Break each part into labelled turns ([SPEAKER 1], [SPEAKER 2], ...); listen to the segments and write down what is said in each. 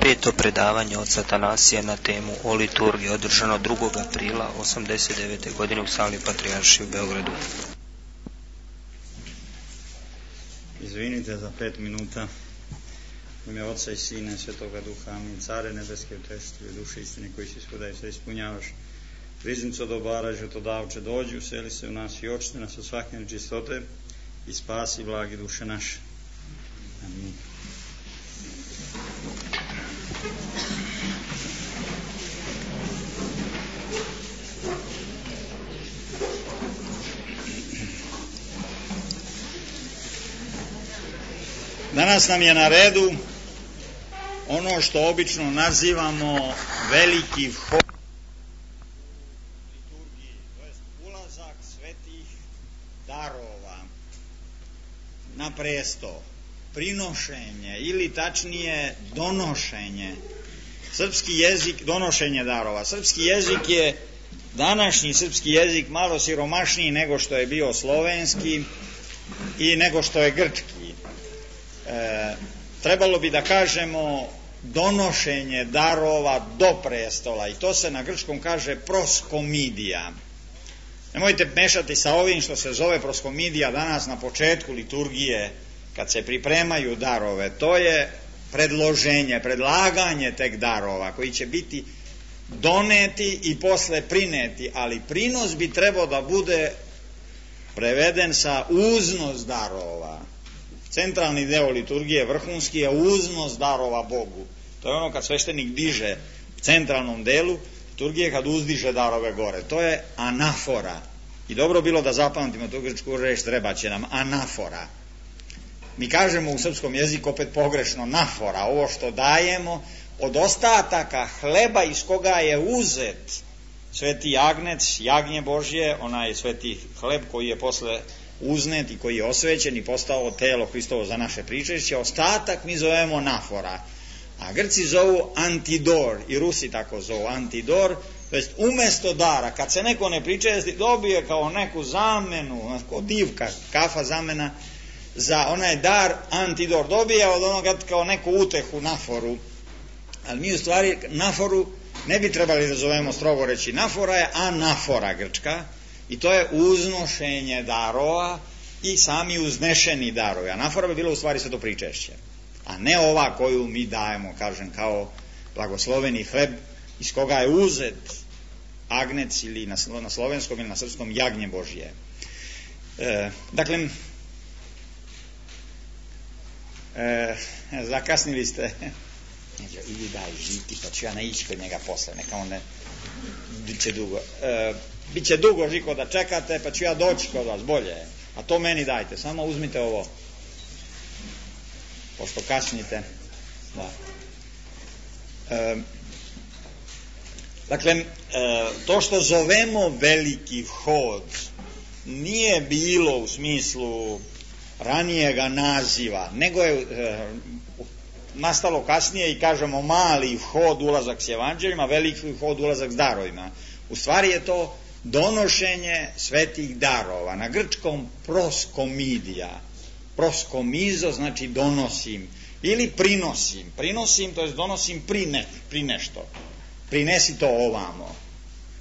[SPEAKER 1] Peto predavanje od Atanasija na temu o liturgiji održano 2. aprila 1989. godine u sali Patrijaršije u Beogradu.
[SPEAKER 2] Izvinite za 5 minuta. U ime Oca i Sina i Svetoga Duha. Amin. Care nebeske, utešitelju duše istine koji si svuda i sve ispunjavaš. Riznico dobara, žetodavče, dođi, useli se u nas i očite nas od svake nečistote i spasi blagi duše naše. Amin. Danas nam je na redu ono što obično nazivamo veliki vhod liturgiji, to jest ulazak svetih darova na presto, prinošenje ili tačnije donošenje. Srpski jezik, donošenje darova. Srpski jezik je, današnji srpski jezik, malo siromašniji nego što je bio slovenski i nego što je grčki. Trebalo bi da kažemo donošenje darova do prestola i to se na grčkom kaže proskomidija. Nemojte mešati sa ovim što se zove proskomidija danas na početku liturgije kad se pripremaju darove. To je predloženje, predlaganje tek darova koji će biti doneti i posle prineti, ali prinos bi trebao da bude preveden sa uznos darova. Centralni deo liturgije, vrhunski, je uznos darova Bogu. To je ono kad sveštenik diže u centralnom delu liturgije, kad uzdiže darove gore. To je anafora. I dobro bilo da zapamtimo tu grčku reč, treba će nam anafora. Mi kažemo u srpskom jeziku opet pogrešno nafora, ovo što dajemo od ostataka hleba iz koga je uzet sveti agnec, jagnje Božje, onaj sveti hleb koji je posle uznet i koji je osvećen i postao telo Hristovo za naše pričešće, ostatak mi zovemo nafora, a Grci zovu antidor i Rusi tako zovu antidor, to jest umesto dara, kad se neko ne pričesti, dobije kao neku zamenu, kao divka, kafa zamena za onaj dar antidor, dobije od onoga kao neku utehu, naforu, ali mi u stvari naforu ne bi trebali da zovemo strogo reći nafora je anafora grčka, i to je uznošenje darova i sami uznešeni darovi. Anafora bi bilo u stvari sve to pričešće, a ne ova koju mi dajemo, kažem, kao blagosloveni hleb iz koga je uzet agnec ili na slovenskom ili na srpskom jagnje Božje. Dakle, zakasnili ste. Ili daj žiti, pa ću ja naići kod njega posle, neka on ne biće dugo. Biće dugo, Žiko, da čekate, pa ću ja doći kod vas, bolje. A to meni dajte, samo uzmite ovo. Pošto kasnite. Da. Dakle, to što zovemo veliki vhod nije bilo u smislu ranijega naziva, nego je nastalo kasnije i kažemo mali vhod, ulazak s evanđeljima, veliki vhod, ulazak s darovima. U stvari je to donošenje svetih darova. Na grčkom proskomidija. Proskomizo znači donosim ili prinosim. Prinosim, to je donosim pri nešto. Prinesi to ovamo.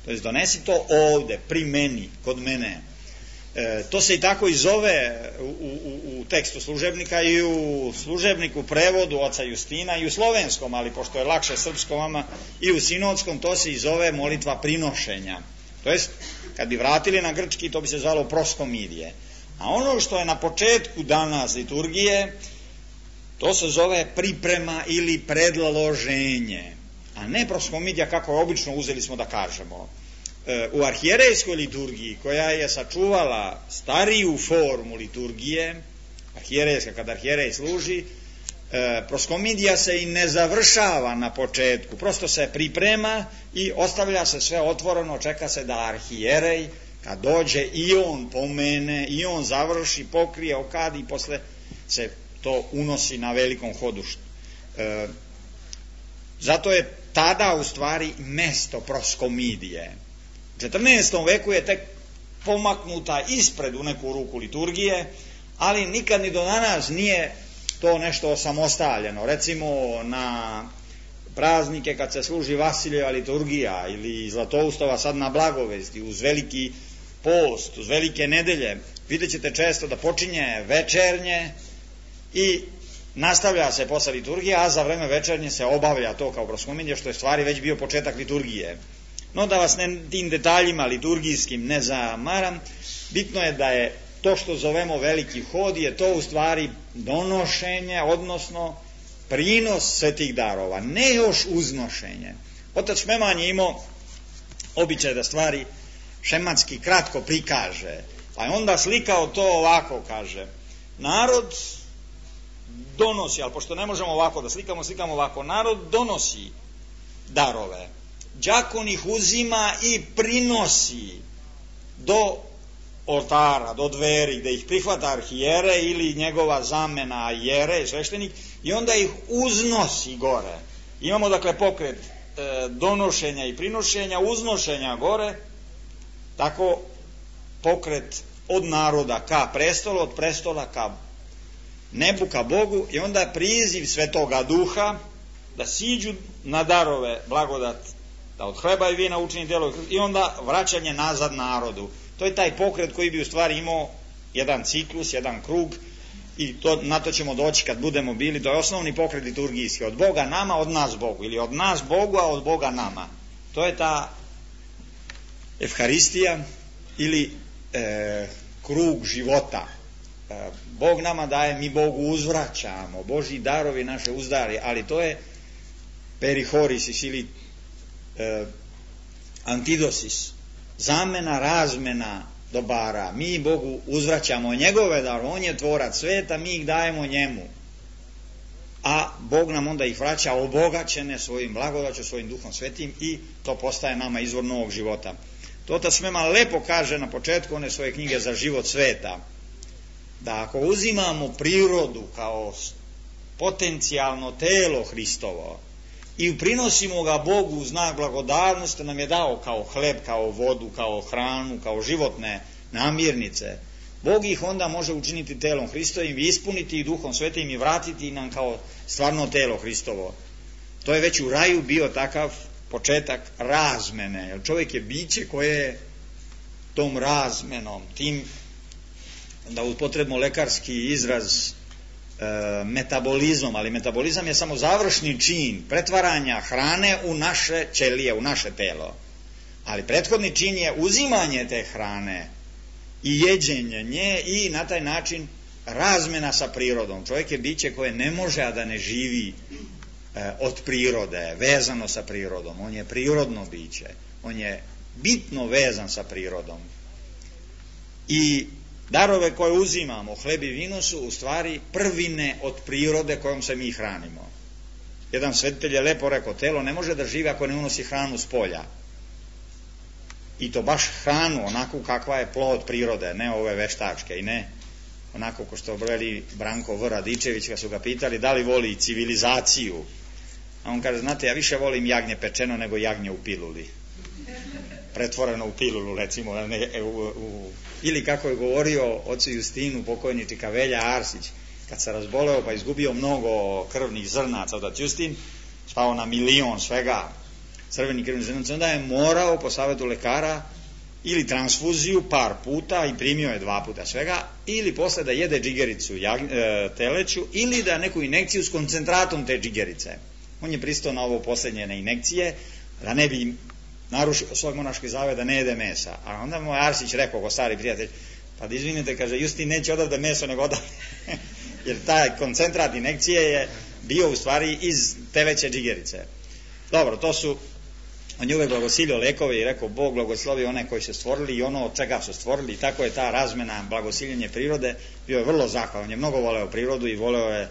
[SPEAKER 2] To je donesi to ovde, pri meni, kod mene. To se i tako i zove u tekstu služebnika i u služebniku prevodu oca Justina i u slovenskom, ali pošto je lakše srpskom vama, i u sinodskom, to se i zove molitva prinošenja. To jest, kad bi vratili na grčki, to bi se zvalo proskomidije. A ono što je na početku danas liturgije, to se zove priprema ili predloženje, a ne proskomidija kako obično uzeli smo da kažemo. U arhijerejskoj liturgiji, koja je sačuvala stariju formu liturgije, arhijerejska, kada arhijerej služi, proskomidija se i ne završava na početku, prosto se priprema i ostavlja se sve otvoreno, čeka se da arhijerej, kad dođe, i on pomene, i on završi, pokrije, okadi i posle se to unosi na velikom hodu. Zato je tada u stvari mesto proskomidije. U 14. veku je tek pomaknuta ispred u neku ruku liturgije, ali nikad ni do danas nije to nešto osamostaljeno. Recimo na praznike kad se služi Vasiljeva liturgija ili Zlatoustova sad na Blagovesti, uz veliki post, uz velike nedelje, vidjet ćete često da počinje večernje i nastavlja se posle liturgije, a za vreme večernje se obavlja to kao proskomidija, što je stvari već bio početak liturgije. No da vas tim detaljima liturgijskim ne zamaram, bitno je da je to što zovemo veliki hod, je to u stvari donošenje, odnosno prinos svetih darova, ne još uznošenje. Otac Šmeman je imao običaj da stvari šematski kratko prikaže, pa je onda slikao to ovako, kaže, narod donosi, ali pošto ne možemo ovako da slikamo, slikamo ovako, narod donosi darove, đakon ih uzima i prinosi do oltara, do dveri, gde ih prihvata arhijere ili njegova zamena jere, sveštenik, i onda ih uznosi gore. Imamo dakle pokret donošenja i prinošenja, uznošenja gore, tako pokret od naroda ka prestolu, od prestola ka nebu, ka Bogu, i onda priziv Svetoga Duha da siđu na darove blagodat, da od hleba i vina učini delo, i onda vraćanje nazad narodu. To je taj pokret koji bi u stvari imao jedan ciklus, jedan krug, i na to ćemo doći kad budemo bili. To je osnovni pokret liturgijski, od Boga nama, od nas Bogu, ili od nas Bogu, a od Boga nama. To je ta Evharistija ili krug života. Bog nama daje, mi Bogu uzvraćamo, Božji darovi naše uzdari, ali to je perihorisis ili antidosis, zamena, razmena dobara. Mi Bogu uzvraćamo njegove darove, on je tvorac sveta, mi ih dajemo njemu, a Bog nam onda ih vraća obogaćene svojim blagodaću, svojim Duhom Svetim, i to postaje nama izvor novog života. To Otac Šmeman lepo kaže na početku one svoje knjige Za život sveta, da ako uzimamo prirodu kao potencijalno telo Hristovo i prinosimo ga Bogu u znak blagodarnosti, nam je dao kao hleb, kao vodu, kao hranu, kao životne namirnice, Bog ih onda može učiniti telom Hristovim i ispuniti ih Duhom Svetim i vratiti nam kao stvarno telo Hristovo. To je već u raju bio takav početak razmene, jer čovjek je biće koje je tom razmenom, tim, da upotrebimo lekarski izraz, metabolizmom, ali metabolizam je samo završni čin pretvaranja hrane u naše ćelije, u naše telo, ali prethodni čin je uzimanje te hrane i jeđenje nje i na taj način razmena sa prirodom. Čovjek je biće koje ne može a da ne živi od prirode, vezano sa prirodom. On je prirodno biće, on je bitno vezan sa prirodom, i darove koje uzimamo, hleb i vino, su u stvari prvine od prirode kojom se mi hranimo. Jedan svetitelj je lepo rekao, telo ne može da živi ako ne unosi hranu s polja, i to baš hranu onako kakva je plod prirode, ne ove veštačke, i ne onako ko što veli Branko V. Radičević kad su ga pitali da li voli civilizaciju, a on kaže, znate, ja više volim jagnje pečeno nego jagnje u piluli, pretvoreno u pilulu, recimo, ili kako je govorio ocu Justinu pokojni Čikavelja Arsić, kad se razboleo pa izgubio mnogo krvnih zrnaca, otac Justin spao na 1.000.000 svega crvenih krvnih zrnaca, onda je morao po savjetu lekara ili transfuziju par puta, i primio je 2 puta svega, ili posle da jede džigericu teleću, ili da neku inekciju s koncentratom te džigerice. On je pristao na ovo posljednje, na inekcije, da ne bi narušio svoj monaški zavjet da ne jede mesa. A onda mu Arsić rekao, ko stari prijatelj, pa da izvinite, kaže, Justin neće odavde meso nego odavde jer taj koncentrat inekcije je bio u stvari iz teveće džigerice. Dobro, to su, on je uvek blagosilio lekove i rekao, Bog blagoslovi one koji su stvorili i ono od čega su stvorili, i tako je ta razmena, blagosiljenje prirode. Bio je vrlo zahvalan, je mnogo voleo prirodu i voleo je,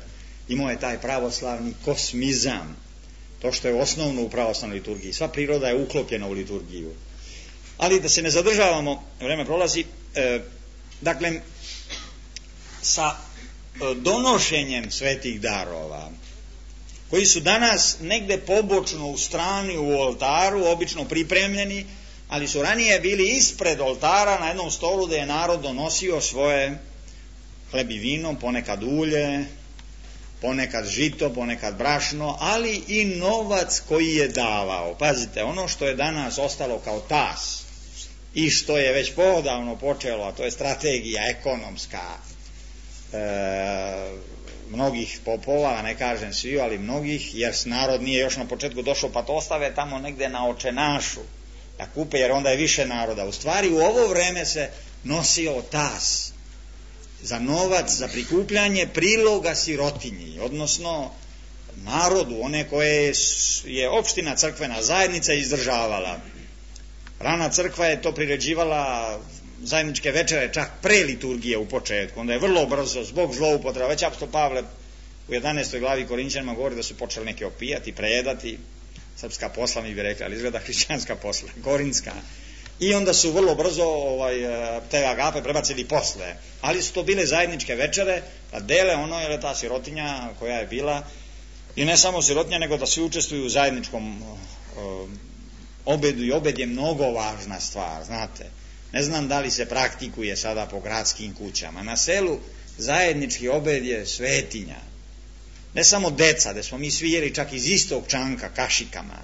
[SPEAKER 2] imao je taj pravoslavni kosmizam, to što je osnovno u pravoslavnoj liturgiji. Sva priroda je uklopljena u liturgiju. Ali da se ne zadržavamo, vreme prolazi, dakle, sa donošenjem svetih darova, koji su danas negde pobočno u strani u oltaru, obično pripremljeni, ali su ranije bili ispred oltara na jednom stolu gde je narod donosio svoje hleb i vino, ponekad ulje, ponekad žito, ponekad brašno, ali i novac koji je davao. Pazite, ono što je danas ostalo kao tas i što je već poodavno počelo, a to je strategija ekonomska mnogih popova, ne kažem svi, ali mnogih, jer narod nije još na početku došao, pa to ostave tamo negde na očenašu da kupe, jer onda je više naroda. U stvari u ovo vreme se nosio tas za novac, za prikupljanje priloga sirotinji, odnosno narodu, one koje je opština crkvena zajednica izdržavala. Rana crkva je to priređivala zajedničke večere čak pre liturgije u početku, onda je vrlo brzo zbog zloupotreba, već apostol Pavle u 11. glavi Korinćanima govori da su počeli neke opijati, prejedati, srpska posla mi bi rekli, ali izgleda hrišćanska posla, korinska, i onda su vrlo brzo te agape prebacili posle, ali su to bile zajedničke večere, da dele ono, jer je ta sirotinja koja je bila, i ne samo sirotinja, nego da svi učestvuju u zajedničkom obedu, i obed je mnogo važna stvar, znate. Ne znam da li se praktikuje sada po gradskim kućama. Na selu zajednički obed je svetinja. Ne samo deca, gde smo mi svi jeli čak iz istog čanka kašikama,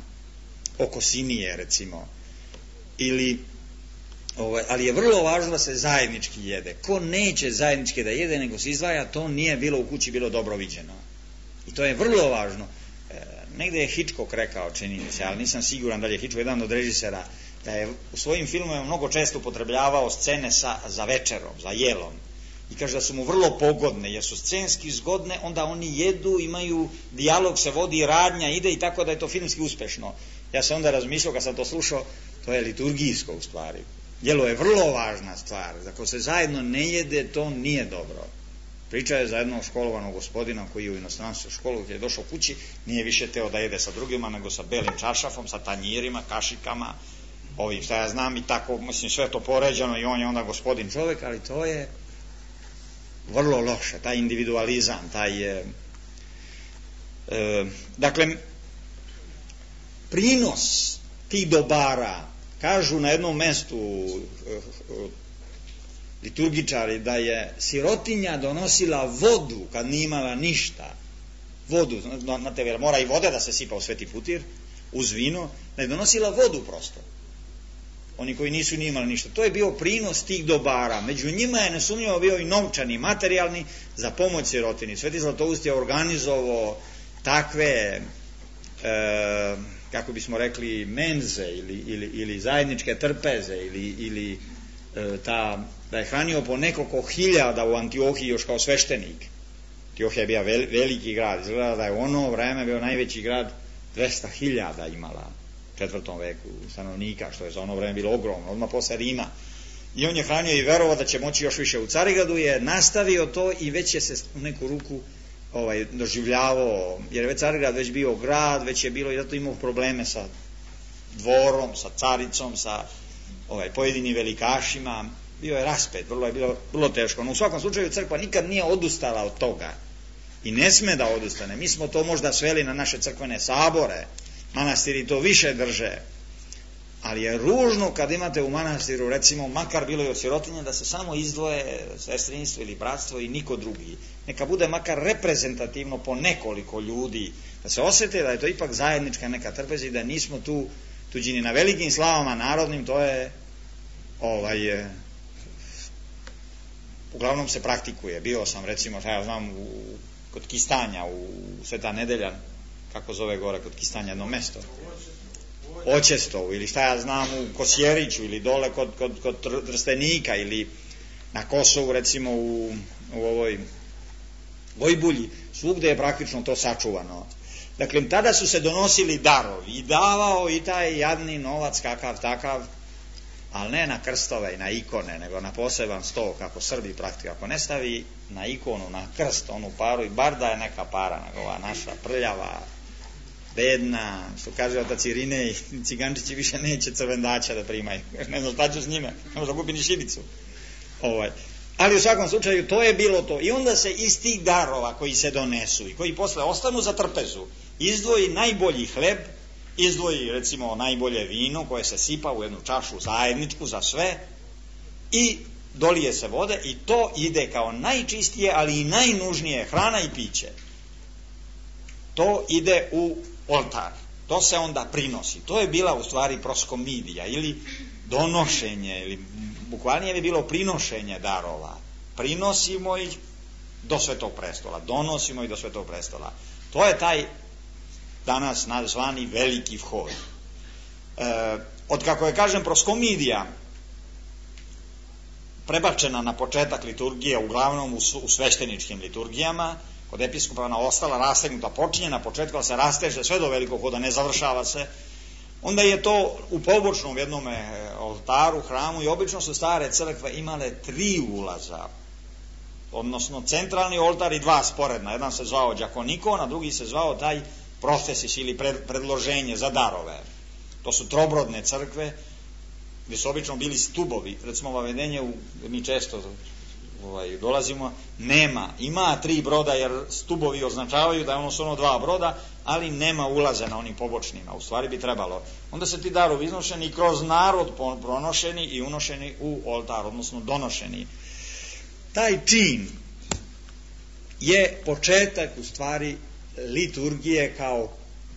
[SPEAKER 2] oko sinije recimo, ali je vrlo važno da se zajednički jede. Ko neće zajednički da jede, nego se izdvaja, to nije bilo u kući bilo dobro viđeno. I to je vrlo važno. Negde je Hitchcock rekao, čini mi se, ali nisam siguran da li je Hitchcock jedan od režisera, da je u svojim filmovima mnogo često upotrebljavao scene za večerom, za jelom. I kaže da su mu vrlo pogodne, jer su scenski zgodne, onda oni jedu, imaju, dijalog se vodi, radnja ide, i tako da je to filmski uspešno. Ja sam onda razmišljao, kad sam to slušao, to je liturgijsko u stvari. Jelo je vrlo važna stvar. Ako se zajedno ne jede, to nije dobro. Priča je za jednog školovanog gospodina koji je u inostranstvu školu, gdje je došao kući, nije više teo da jede sa drugima, nego sa belim čašafom, sa tanjirima, kašikama, ovim šta ja znam, i tako, mislim, sve to poređano, i on je onda gospodin čovjek, ali to je vrlo loše, taj individualizam, dakle, prinos tih dobara, kažu na jednom mestu liturgičari da je sirotinja donosila vodu kad nije imala ništa, vodu, znate, jer mora i vode da se sipa u sveti putir uz vino, da je donosila vodu prosto, oni koji nisu ni imali ništa. To je bio prinos tih dobara. Među njima je nesumnjivo bio i novčani, materijalni, za pomoć sirotini. Sveti Zlatoust je organizovao takve kako bismo rekli menze ili zajedničke trpeze ili da je hranio po nekoliko hiljada u Antiohiji još kao sveštenik. Antiohija je bio veliki grad, izgleda da je u ono vreme bio najveći grad, 200.000 imala u 4. veku stanovnika, što je za ono vreme bilo ogromno, odmah posle Rima. I on je hranio i verovao da će moći još više. U Carigradu je nastavio to i već je se u neku ruku doživljavao, jer je već Carigrad već bio grad, već je bilo, i zato imao probleme sa dvorom, sa caricom, sa pojedinim velikašima. Bio je raspet, je bilo vrlo teško. No, u svakom slučaju crkva nikad nije odustala od toga i ne sme da odustane. Mi smo to možda sveli na naše crkvene sabore, manastiri to više drže, ali je ružno kad imate u manastiru, recimo, makar bilo i od sirotinje, da se samo izdvoje sestrinstvo ili bratstvo i niko drugi. Neka bude makar reprezentativno po nekoliko ljudi, da se osjete da je to ipak zajednička neka trpeza i da nismo tu tuđini. Na velikim slavama narodnim to je uglavnom se praktikuje. Bio sam, recimo, ja znam, kod Kistanja u Sveta Nedelja, kako zove gore kod Kistanja jedno mesto, Oćestovu, ili šta ja znam u Kosjeriću, ili dole kod Trstenika, ili na Kosovu, recimo u ovoj Vojbulji, svugde je praktično to sačuvano. Dakle, tada su se donosili darovi i davao i taj jadni novac kakav takav, ali ne na krstove i na ikone, nego na poseban sto, kako Srbi praktično. Ako ne stavi na ikonu, na krst, onu paru, i bar da je neka para, nego ova naša prljava, bedna, što kaže otac Irinej, cigančići više neće crvendača da primaju, ne znam šta ću s njime, ne možda kupi ni šibicu. Ali u svakom slučaju to je bilo to. I onda se iz tih darova koji se donesu i koji posle ostanu za trpezu, izdvoji najbolji hleb, izdvoji recimo najbolje vino koje se sipa u jednu čašu zajedničku za sve i dolije se vode, i to ide kao najčistije, ali i najnužnije hrana i piće. to ide u oltar. To se onda prinosi. To je bila u stvari proskomidija ili donošenje, ili bukvalnije bi bilo prinošenje darova. Prinosimo ih do Svetog prestola. Donosimo ih do Svetog prestola. To je taj danas nazvani veliki vhod. Od kako je, kažem, proskomidija prebačena na početak liturgije, uglavnom u svešteničkim liturgijama, kod episkopa ona ostala rastegnuta, počinje na početku, ali se rasteže sve do velikog hoda, ne završava se, onda je to u pobočnom jednom oltaru, hramu, i obično su stare crkve imale 3 ulaza, odnosno centralni oltar i 2 sporedna. Jedan se zvao đakonikon, a drugi se zvao taj profesis ili predloženje za darove. To su trobrodne crkve, gdje su obično bili stubovi. Recimo vavedenje, mi često dolazimo, ima 3 broda, jer stubovi označavaju da je ono su 2 broda, ali nema ulaze na onim pobočnima. U stvari bi trebalo. Onda se ti darovi iznošeni i kroz narod pronošeni i unošeni u oltar, odnosno donošeni. Taj čin je početak u stvari liturgije kao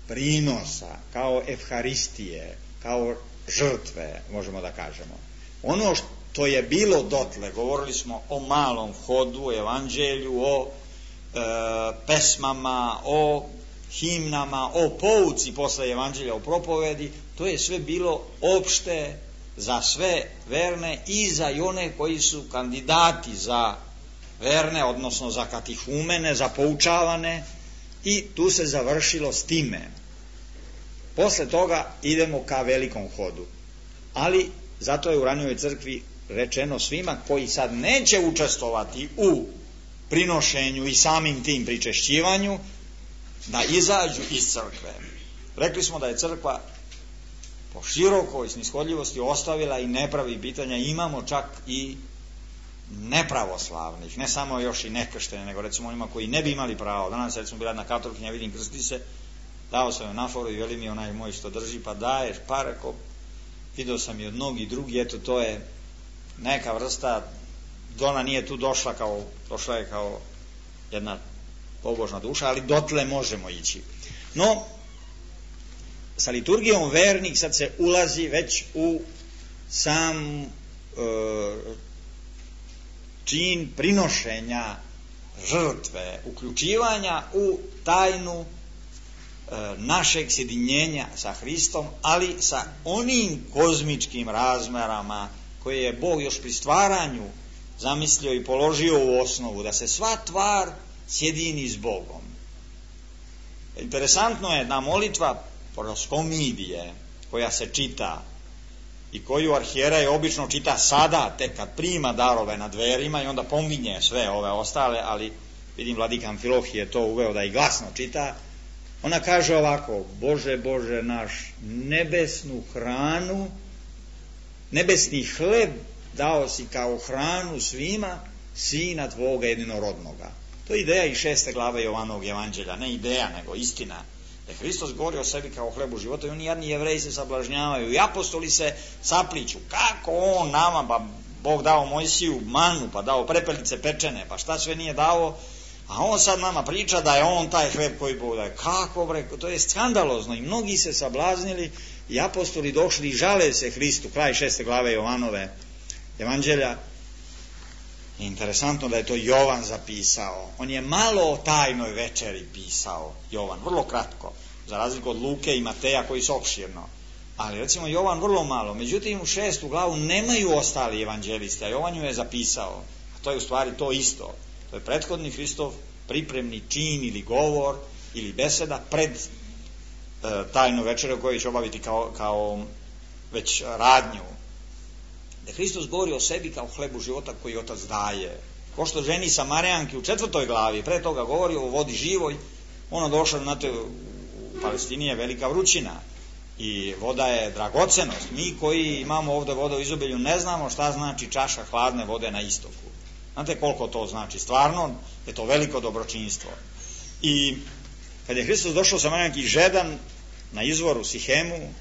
[SPEAKER 2] prinosa, kao evharistije, kao žrtve, možemo da kažemo. Ono što je bilo dotle, govorili smo o malom vhodu, o evanđelju, o pesmama, o himnama, o pouci posle evanđelja, o propovedi, to je sve bilo opšte za sve verne i za one koji su kandidati za verne, odnosno za katihumene, za poučavane, i tu se završilo s time. Posle toga idemo ka velikom hodu. Ali zato je u ranijoj crkvi rečeno svima koji sad neće učestvovati u prinošenju i samim tim pričešćivanju, da izađu iz crkve. Rekli smo da je crkva po širokoj snishodljivosti ostavila i ne pravi pitanja. Imamo čak i nepravoslavnih, ne samo još i nekrštene, nego recimo onima koji ne bi imali pravo. Danas recimo bila jedna katolikinja, vidim, krsti se, dao sam joj naforu i veli mi onaj moj što drži, pa daješ, pa rekao, vidio sam i od mnogi drugi, eto to je neka vrsta, ona nije tu došla je kao jedna pobožna duša, ali dotle možemo ići. No, sa liturgijom vernik sad se ulazi već u sam čin prinošenja žrtve, uključivanja u tajnu našeg sjedinjenja sa Hristom, ali sa onim kozmičkim razmerama koje je Bog još pri stvaranju zamislio i položio u osnovu, da se sva tvar sjedini s Bogom. Interesantno je da molitva proskomidije koja se čita i koju arhijerej obično čita sada, tek kad prima darove na dverima, i onda pominje sve ove ostale, ali vidim vladika Amfilohije je to uveo da i glasno čita. Ona kaže ovako: Bože, Bože naš, nebesnu hranu, nebesni hleb dao si kao hranu svima, Sina Tvoga jedinorodnoga. To je ideja iz 6. glave Jovanovog evanđelja, ne ideja, nego istina. Da Hristos govori o sebi kao hlebu života i oni jadni Jevreji se sablažnjavaju i apostoli se sapliću. Kako on nama, pa Bog dao Mojsiju manu, pa dao prepelice pečene, pa šta sve nije dao, a on sad nama priča da je on taj hleb koji Bog daje. Kako bre, to je skandalozno. I mnogi se sablaznili i apostoli došli i žale se Hristu, kraj 6. glave Jovanove evanđelja. Interesantno da je to Jovan zapisao. On je malo o tajnoj večeri pisao, Jovan, vrlo kratko, za razliku od Luke i Mateja koji su opširno. Ali recimo Jovan vrlo malo. Međutim u 6. glavu nemaju ostali evanđelisti, a Jovan ju je zapisao. A to je u stvari to isto. To je prethodni Hristov pripremni čin ili govor ili beseda pred tajnu večeru koju će obaviti kao već radnju. Da Hristos govori o sebi kao hlebu života koji Otac daje. Ko što ženi Samarijanki u 4. glavi, pre toga govori o vodi živoj, ona došla, znate, u Palestini je velika vrućina i voda je dragocenost. Mi koji imamo ovdje vodu u izobilju ne znamo šta znači čaša hladne vode na istoku. Znate koliko to znači? Stvarno je to veliko dobročinstvo. I kad je Hristos došao Samarijanki žedan na izvoru Sihemu,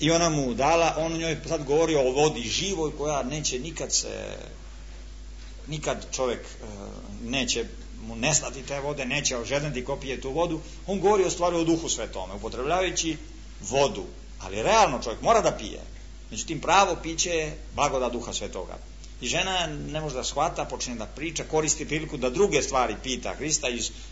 [SPEAKER 2] i ona mu dala, on njoj sad govori o vodi živoj koja neće nikad čovjek neće mu nestati te vode, neće ožedneti ko pije tu vodu. On govori o stvari o Duhu Svetome, upotrebljavajući vodu, ali realno čovjek mora da pije. Međutim, pravo piće je blagodat Duha Svetoga. I žena ne može da shvata, počne da priča, koristi priliku da druge stvari pita Hrista,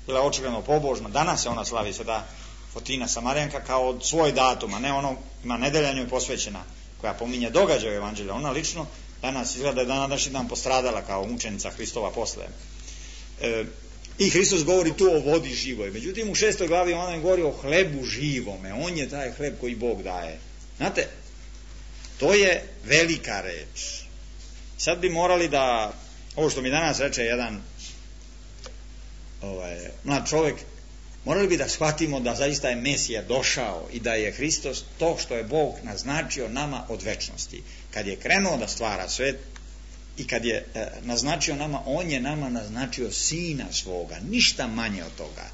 [SPEAKER 2] bila očigledno pobožna. Danas se ona slavi, Sveta Fotina Samarjanka, kao od svoj datum, a ne ono, ima nedelja njoj posvećena, koja pominje događaje u Evanđelju. Ona lično danas izgleda da je današnji dan postradala kao mučenica Hristova posle. I Hristos govori tu o vodi živoj. Međutim, u 6. glavi ona govori o hlebu živome. On je taj hleb koji Bog daje. Znate, to je velika reč. Sad bi morali da, ovo što mi danas reče jedan mlad čovjek, morali bi da shvatimo da zaista je Mesija došao i da je Hristos to što je Bog naznačio nama od večnosti. Kad je krenuo da stvara svet i kad je naznačio nama, on je nama naznačio Sina svoga, ništa manje od toga.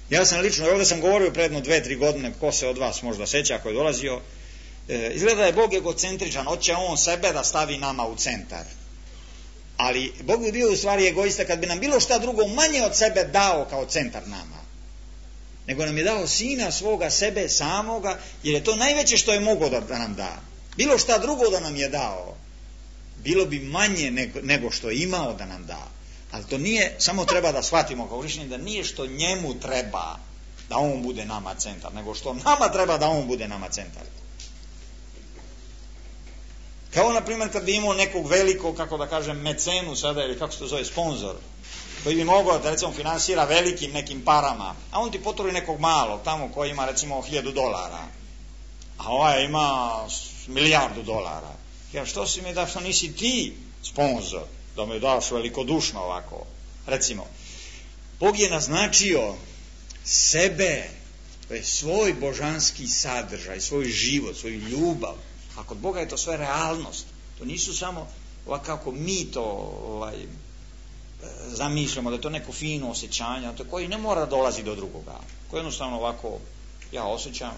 [SPEAKER 2] Ja sam lično, ovdje sam govorio predno 2-3 godine, ko se od vas možda seća ako je dolazio, izgleda da je Bog egocentričan, hoće on sebe da stavi nama u centar. Ali Bog bi bio u stvari egoista kad bi nam bilo šta drugo manje od sebe dao kao centar nama. Nego nam je dao Sina svoga, sebe samoga, jer je to najveće što je mogao da nam da. Bilo šta drugo da nam je dao, bilo bi manje nego što je imao da nam da. Ali to nije, samo treba da shvatimo kao hrišćani, da nije što njemu treba da on bude nama centar, nego što nama treba da on bude nama centar. Kao na primjer kad bi imao nekog velikog, kako da kažem, mecenu sada, ili kako se to zove, sponzor, koji bi mogao da recimo finansira velikim nekim parama, a on ti potrudi nekog malog tamo koji ima recimo $1.000, a ovaj ima $1.000.000. Ja, što si mi da, što nisi ti sponzor, da mi daš velikodušno ovako. Recimo, Bog je naznačio sebe, to je svoj božanski sadržaj, svoj život, svoju ljubav. A kod Boga je to sve realnost. To nisu samo ovako kako mi to zamišljamo, da je to neko fino osjećanje, koji ne mora dolazi do drugoga. Koji jednostavno ovako, ja osjećam,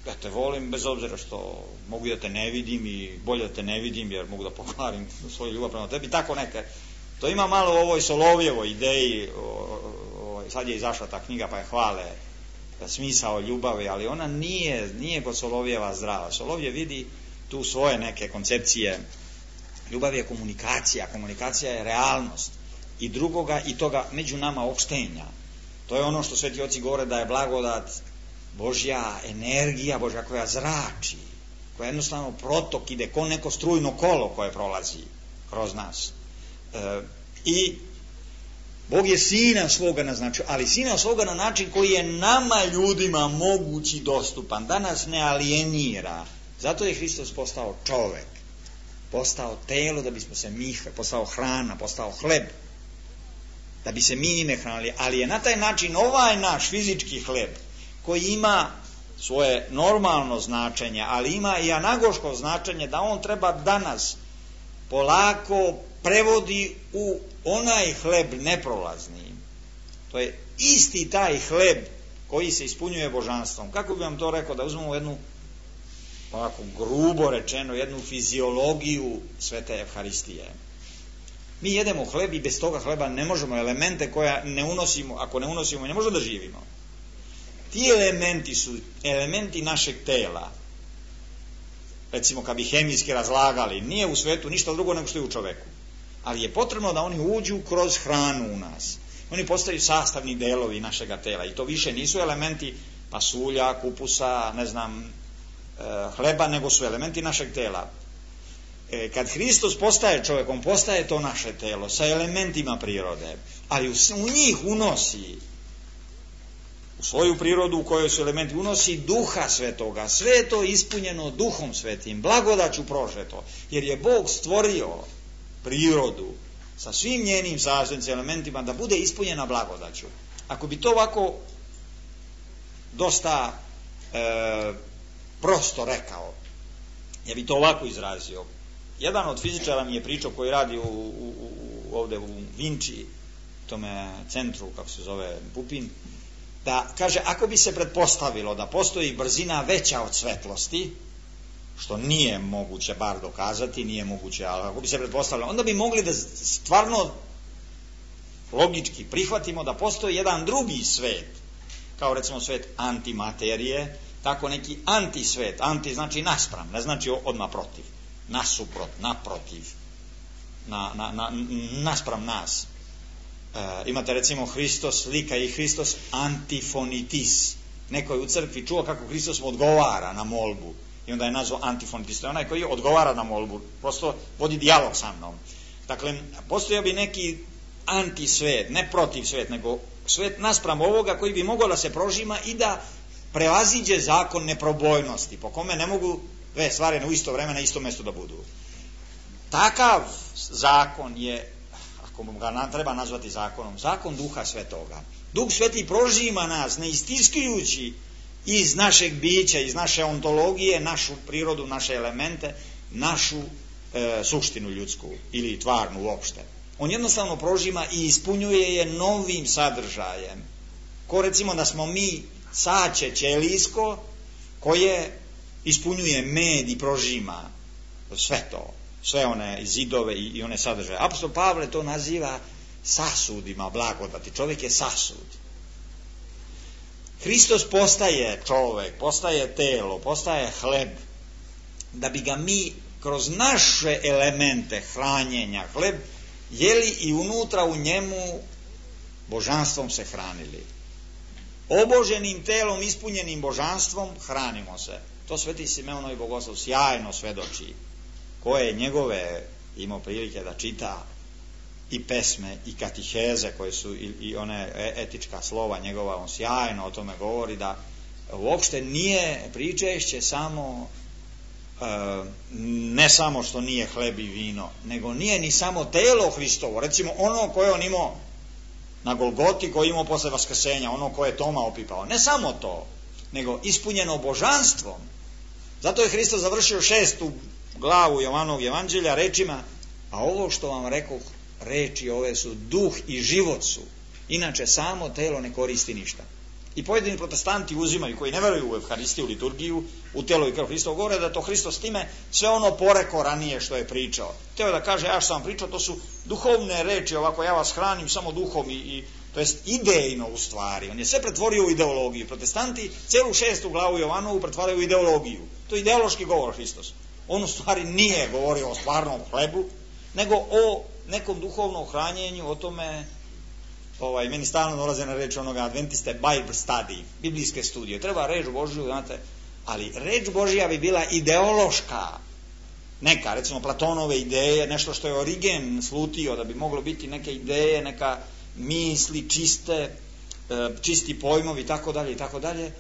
[SPEAKER 2] ja te volim bez obzira što mogu da te ne vidim i bolje da te ne vidim jer mogu da pokvarim svoju ljubav prema tebi. Tako neke. To ima malo u ovoj Solovjevoj ideji, sad je izašla ta knjiga pa je hvale smisao ljubavi, ali ona nije kod Solovjeva zdrava. Solovjev vidi tu svoje neke koncepcije. Ljubav je komunikacija je realnost i drugoga i toga među nama opštenja. To je ono što sveti oci govore da je blagodat Božja energija, Božja koja zrači, koja jednostavno protok ide ko neko strujno kolo koje prolazi kroz nas. I Bog je Sina svoga naznačio, ali Sina svoga na način koji je nama ljudima mogući dostupan, da nas ne alijenira. Zato je Hristos postao čovek, postao telo da bismo se mi, postao hrana, postao hleb, da bi se mi njime hranili, ali je na taj način ovaj naš fizički hleb, koji ima svoje normalno značenje, ali ima i anagoško značenje, da on treba danas polako prevodi u onaj hleb neprolazni. To je isti taj hleb koji se ispunjuje božanstvom. Kako bi vam to rekao, da uzmemo jednu, ovako grubo rečeno, jednu fiziologiju svete Evharistije. Mi jedemo hleb i bez toga hleba ne možemo, elemente koja ne unosimo, ako ne unosimo ne možemo da živimo. Ti elementi su elementi našeg tela. Recimo kad bi hemijski razlagali, nije u svetu ništa drugo nego što je u čoveku. Ali je potrebno da oni uđu kroz hranu u nas. Oni postaju sastavni delovi našega tela i to više nisu elementi pasulja, kupusa, ne znam, hleba, nego su elementi našeg tela. Kad Hristos postaje čovjek, on postaje to naše telo sa elementima prirode, ali u njih unosi, u svoju prirodu u kojoj su elementi, unosi Duha Svetoga. Sve je to ispunjeno Duhom Svetim, blagodaću prožeto, jer je Bog stvorio prirodu sa svim njenim sastavnim elementima da bude ispunjena blagodaću. Ako bi to ovako dosta prosto rekao, ja bi to ovako izrazio. Jedan od fizičara mi je pričao, koji radi ovdje u Vinči, tome centru, kako se zove, Pupin, da kaže, ako bi se pretpostavilo da postoji brzina veća od svetlosti, što nije moguće bar dokazati, nije moguće, ali ako bi se pretpostavilo, onda bi mogli da stvarno logički prihvatimo da postoji jedan drugi svet, kao recimo svet antimaterije, tako neki antisvet, anti znači naspram, ne znači odmah protiv, nasuprot, naprotiv, naspram nas. Imate recimo Hristos lika i Hristos antifonitis. Neko je u crkvi čuo kako Hristos mu odgovara na molbu i onda je nazvao antifonitis. To je onaj koji odgovara na molbu, prosto vodi dijalog sa mnom. Dakle, postojao bi neki antisvet, ne protiv svet, nego svet naspram ovoga koji bi mogao da se prožima i da prevaziđe zakon neprobojnosti, po kome ne mogu dve stvari u isto vreme na isto mjestu da budu. Takav zakon je, ako ga treba nazvati zakonom, zakon Duha Svetoga. Duh Sveti prožima nas, ne istiskujući iz našeg bića, iz naše ontologije, našu prirodu, naše elemente, našu suštinu ljudsku ili tvarnu uopšte. On jednostavno prožima i ispunjuje je novim sadržajem. Ko recimo da smo mi saće ćelijsko koje ispunjuje med i prožima sve to, sve one zidove i one sadržaje. Apostol Pavle to naziva sasudima blagodati. Čovjek je sasud. Hristos postaje čovjek, postaje telo, postaje hleb, da bi ga mi kroz naše elemente hranjenja, hleb, jeli i unutra u njemu božanstvom se hranili. Oboženim telom, ispunjenim božanstvom, hranimo se. To sveti Simeonovi bogoslov sjajno svedoči, koje njegove imao prilike da čita, i pesme i katiheze koje su i one etička slova njegova, on sjajno o tome govori, da uopšte nije pričešće samo ne samo što nije hleb i vino, nego nije ni samo telo Hristovo, recimo ono koje on imao na Golgoti, koje imao posle vaskrsenja, ono koje je Toma opipao, ne samo to, nego ispunjeno božanstvom. Zato je Hristos završio 6. glavu Jovanovog evanđelja rečima: a ovo što vam rekoh, reči ove su duh i život su, inače samo telo ne koristi ništa. I pojedini protestanti uzimaju, koji ne veruju u Evharistiju, liturgiju, u telo i krv Hristov, govore da to Hristos time sve ono poreko ranije što je pričao. Teo da kaže, ja što sam pričao, to su duhovne reči, ovako ja vas hranim samo duhom i to jest idejno u stvari. On je sve pretvorio u ideologiju. Protestanti celu 6. glavu Jovanovu pretvaraju u ideologiju. To je ideološki govor Hristos. On u stvari nije govorio o stvarnom hlebu, nego o nekom duhovnom hranjenju, o tome, meni stalno dolaze na reč onoga Adventiste Bible study, biblijske studije. Treba reč Božju, znate, ali reč Božja bi bila ideološka, neka, recimo Platonove ideje, nešto što je Origen slutio, da bi moglo biti neke ideje, neka misli čiste, čisti pojmovi, tako dalje,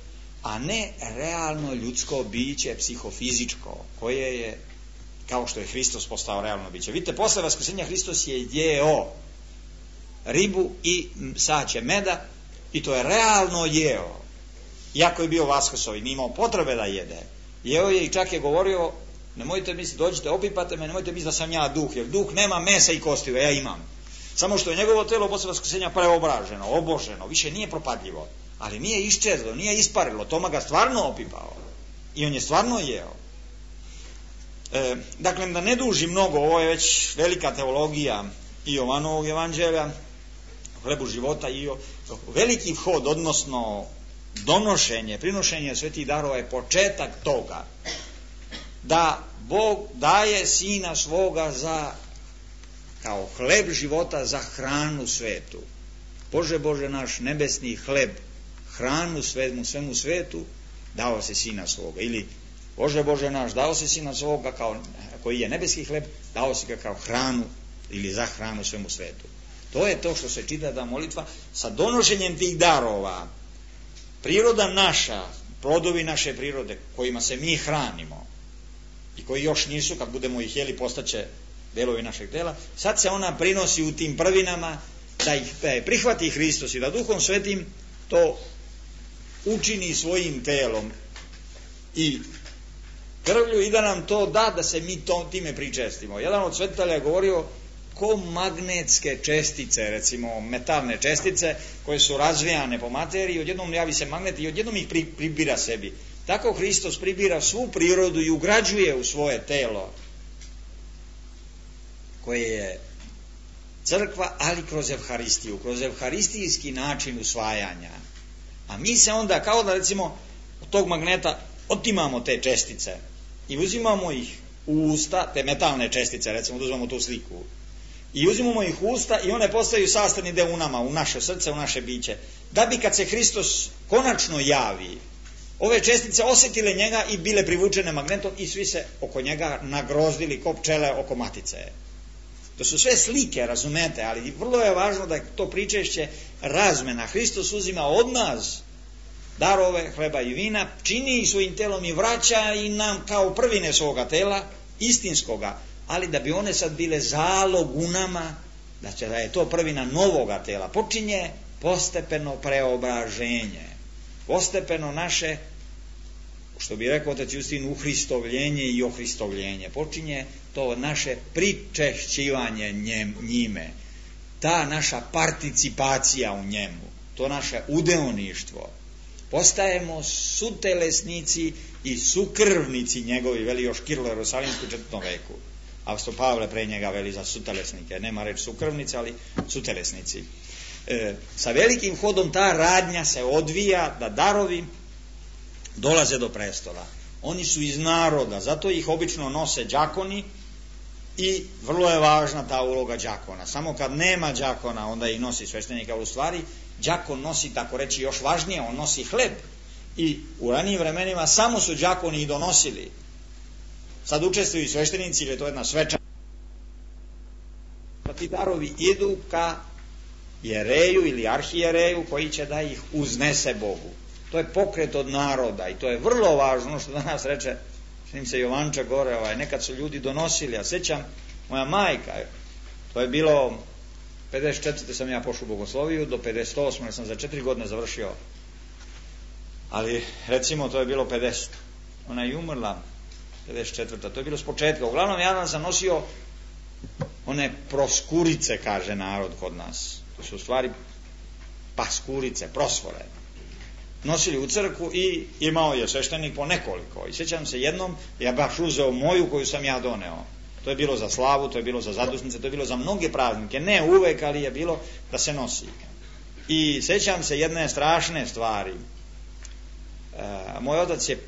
[SPEAKER 2] a ne realno ljudsko biće, psihofizičko, koje je, kao što je Hristos postao realno biće. Vidite, posle vaskrsenja Hristos je jeo ribu i saće meda i to je realno jeo. Iako je bio vaskrsovi, nije imao potrebe da jede. Jeo je i čak je govorio, nemojte misliti, dođite, opipate me, nemojte misliti da sam ja duh, jer duh nema mesa i kosti, ja imam. Samo što je njegovo telo posle vaskrsenja preobraženo, oboženo, više nije propadljivo, ali nije iščezlo, nije isparilo, Toma ga stvarno opipao i on je stvarno jeo. Dakle, da ne duži mnogo, ovo je već velika teologija i Jovanovog evanđelja, hlebu života, i veliki vhod, odnosno donošenje, prinošenje svetih darova je početak toga da Bog daje Sina svoga kao hleb života za hranu svetu. Bože naš, nebesni hleb, hranu svemu svetu, dao se Sina svoga. Ili Bože naš, dao se Sina svoga koji je nebeski hleb, dao si ga kao hranu ili za hranu svemu svetu. To je to što se čita da molitva sa donošenjem tih darova. Priroda naša, plodovi naše prirode kojima se mi hranimo i koji još nisu, kad budemo ih jeli, postaće delovi našeg tela, sad se ona prinosi u tim prvinama, da ih prihvati Hristos i da Duhom Svetim to učini svojim telom i krvlju i da nam to da se mi time pričestimo. Jedan od svetitelja je govorio ko magnetske čestice, recimo metalne čestice koje su razvijane po materiji, odjednom javi se magnet i odjednom ih pribira sebi. Tako Hristos pribira svu prirodu i ugrađuje u svoje telo koje je crkva, ali kroz Evharistiju, kroz evharistijski način usvajanja. A mi se onda, kao da recimo od tog magneta otimamo te čestice i uzimamo ih u usta, te metalne čestice, recimo da uzmemo tu sliku, i uzimamo ih u usta i one postaju sastavni deo u nama, u naše srce, u naše biće, da bi kad se Hristos konačno javi, ove čestice osjetile njega i bile privučene magnetom i svi se oko njega nagrozdili ko pčele oko matice. To su sve slike, razumete, ali vrlo je važno da to pričešće razmena. Hristos uzima od nas darove, hleba i vina, čini ih svojim telom i vraća i nam kao prvine svoga tela, istinskoga, ali da bi one sad bile zalog u nama, da je to prvina novoga tela. Počinje postepeno preobraženje, postepeno naše, što bi rekao otac Justin, uhristovljenje i ohristovljenje. Počinje to naše pričešćivanje njime, ta naša participacija u njemu, to naše udeoništvo. Postajemo sutelesnici i sukrvnici njegovi, veli još Kirilo Jerusalimski u 4. veku. Apostol Pavle pre njega veli za sutelesnike, nema reč sukrvnici, ali sutelesnici. Sa velikim hodom ta radnja se odvija da darovi dolaze do prestola. Oni su iz naroda, zato ih obično nose đakoni i vrlo je važna ta uloga đakona. Samo kad nema đakona, onda ih nosi sveštenika, u stvari đakon nosi, tako reći, još važnije, on nosi hleb. I u ranijim vremenima samo su đakoni i donosili. Sad učestvuju i sveštenici, jer je to jedna svečana. Pa ti darovi idu ka jereju ili arhijereju koji će da ih uznese Bogu. To je pokret od naroda i to je vrlo važno, ono što danas reče, čini se Jovanča gore, nekad su ljudi donosili, a sećam, moja majka, to je bilo 54. sam ja pošao u bogosloviju, do 58. jer sam za 4 godine završio, ali recimo to je bilo 50. Ona je umrla 54. To je bilo s početka. Uglavnom ja sam nosio one proskurice, kaže narod kod nas. To su u stvari paskurice, prosvore. Nosili u crkvu i imao je sveštenik po nekoliko. I sjećam se jednom, ja baš uzeo moju koju sam ja doneo. To je bilo za slavu, to je bilo za zadusnice, to je bilo za mnoge praznike. Ne uvek, ali je bilo da se nosi. I sjećam se jedne strašne stvari. Moj otac je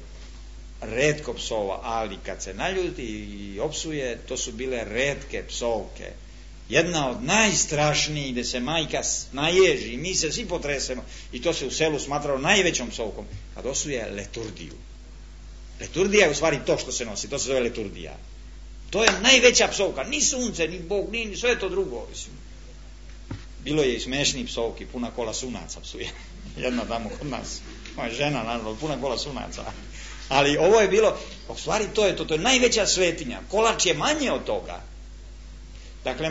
[SPEAKER 2] retko psova, ali kad se naljuti i opsuje, to su bile retke psovke. Jedna od najstrašnijih, gde se majka naježi i mi se svi potresemo, i to se u selu smatralo najvećom psovkom, kad osuje leturdiju. Leturdija je u stvari to što se nosi, to se zove leturdija. To je najveća psovka, ni sunce, ni Bog, ni sve to drugo. Bilo je i smešnih psovki, puna kola sunaca psuje. Jedna tamo kod nas, moja žena, naravno, puna kola sunaca. Ali ovo je bilo, u stvari to je najveća svetinja. Kolač je manje od toga. Dakle,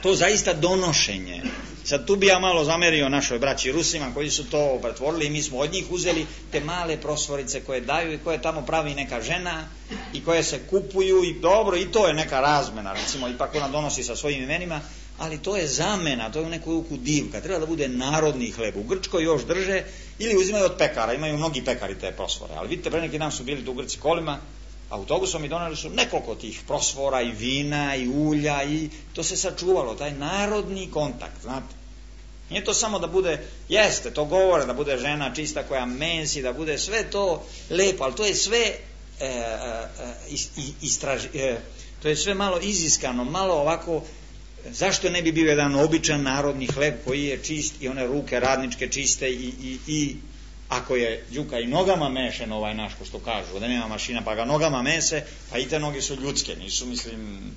[SPEAKER 2] to zaista donošenje. Sad tu bi ja malo zamerio našoj braći Rusima koji su to pretvorili i mi smo od njih uzeli te male prosvorice koje daju i koje tamo pravi neka žena i koje se kupuju i dobro, i to je neka razmena, recimo, ipak ona donosi sa svojim imenima, ali to je zamena, to je u neku ruku divka, treba da bude narodni hleb. U Grčkoj još drže ili uzimaju od pekara, imaju mnogi pekari te prosvore, ali vidite, pre neki dan su bili tu u Grci kolima, autobusom i doneli su nekoliko tih prosvora i vina i ulja i to se sačuvalo, taj narodni kontakt, znate. Nije to samo da bude, jeste, to govore, da bude žena čista koja mensi, da bude sve to lepo, ali to je sve to je sve malo iziskano, malo ovako. Zašto ne bi bio jedan običan narodni hleb koji je čist i one ruke radničke čiste i ako je đuka i nogama mešen ovaj naš, ko što kažu, da nema mašina pa ga nogama mese, pa i te noge su ljudske, nisu, mislim,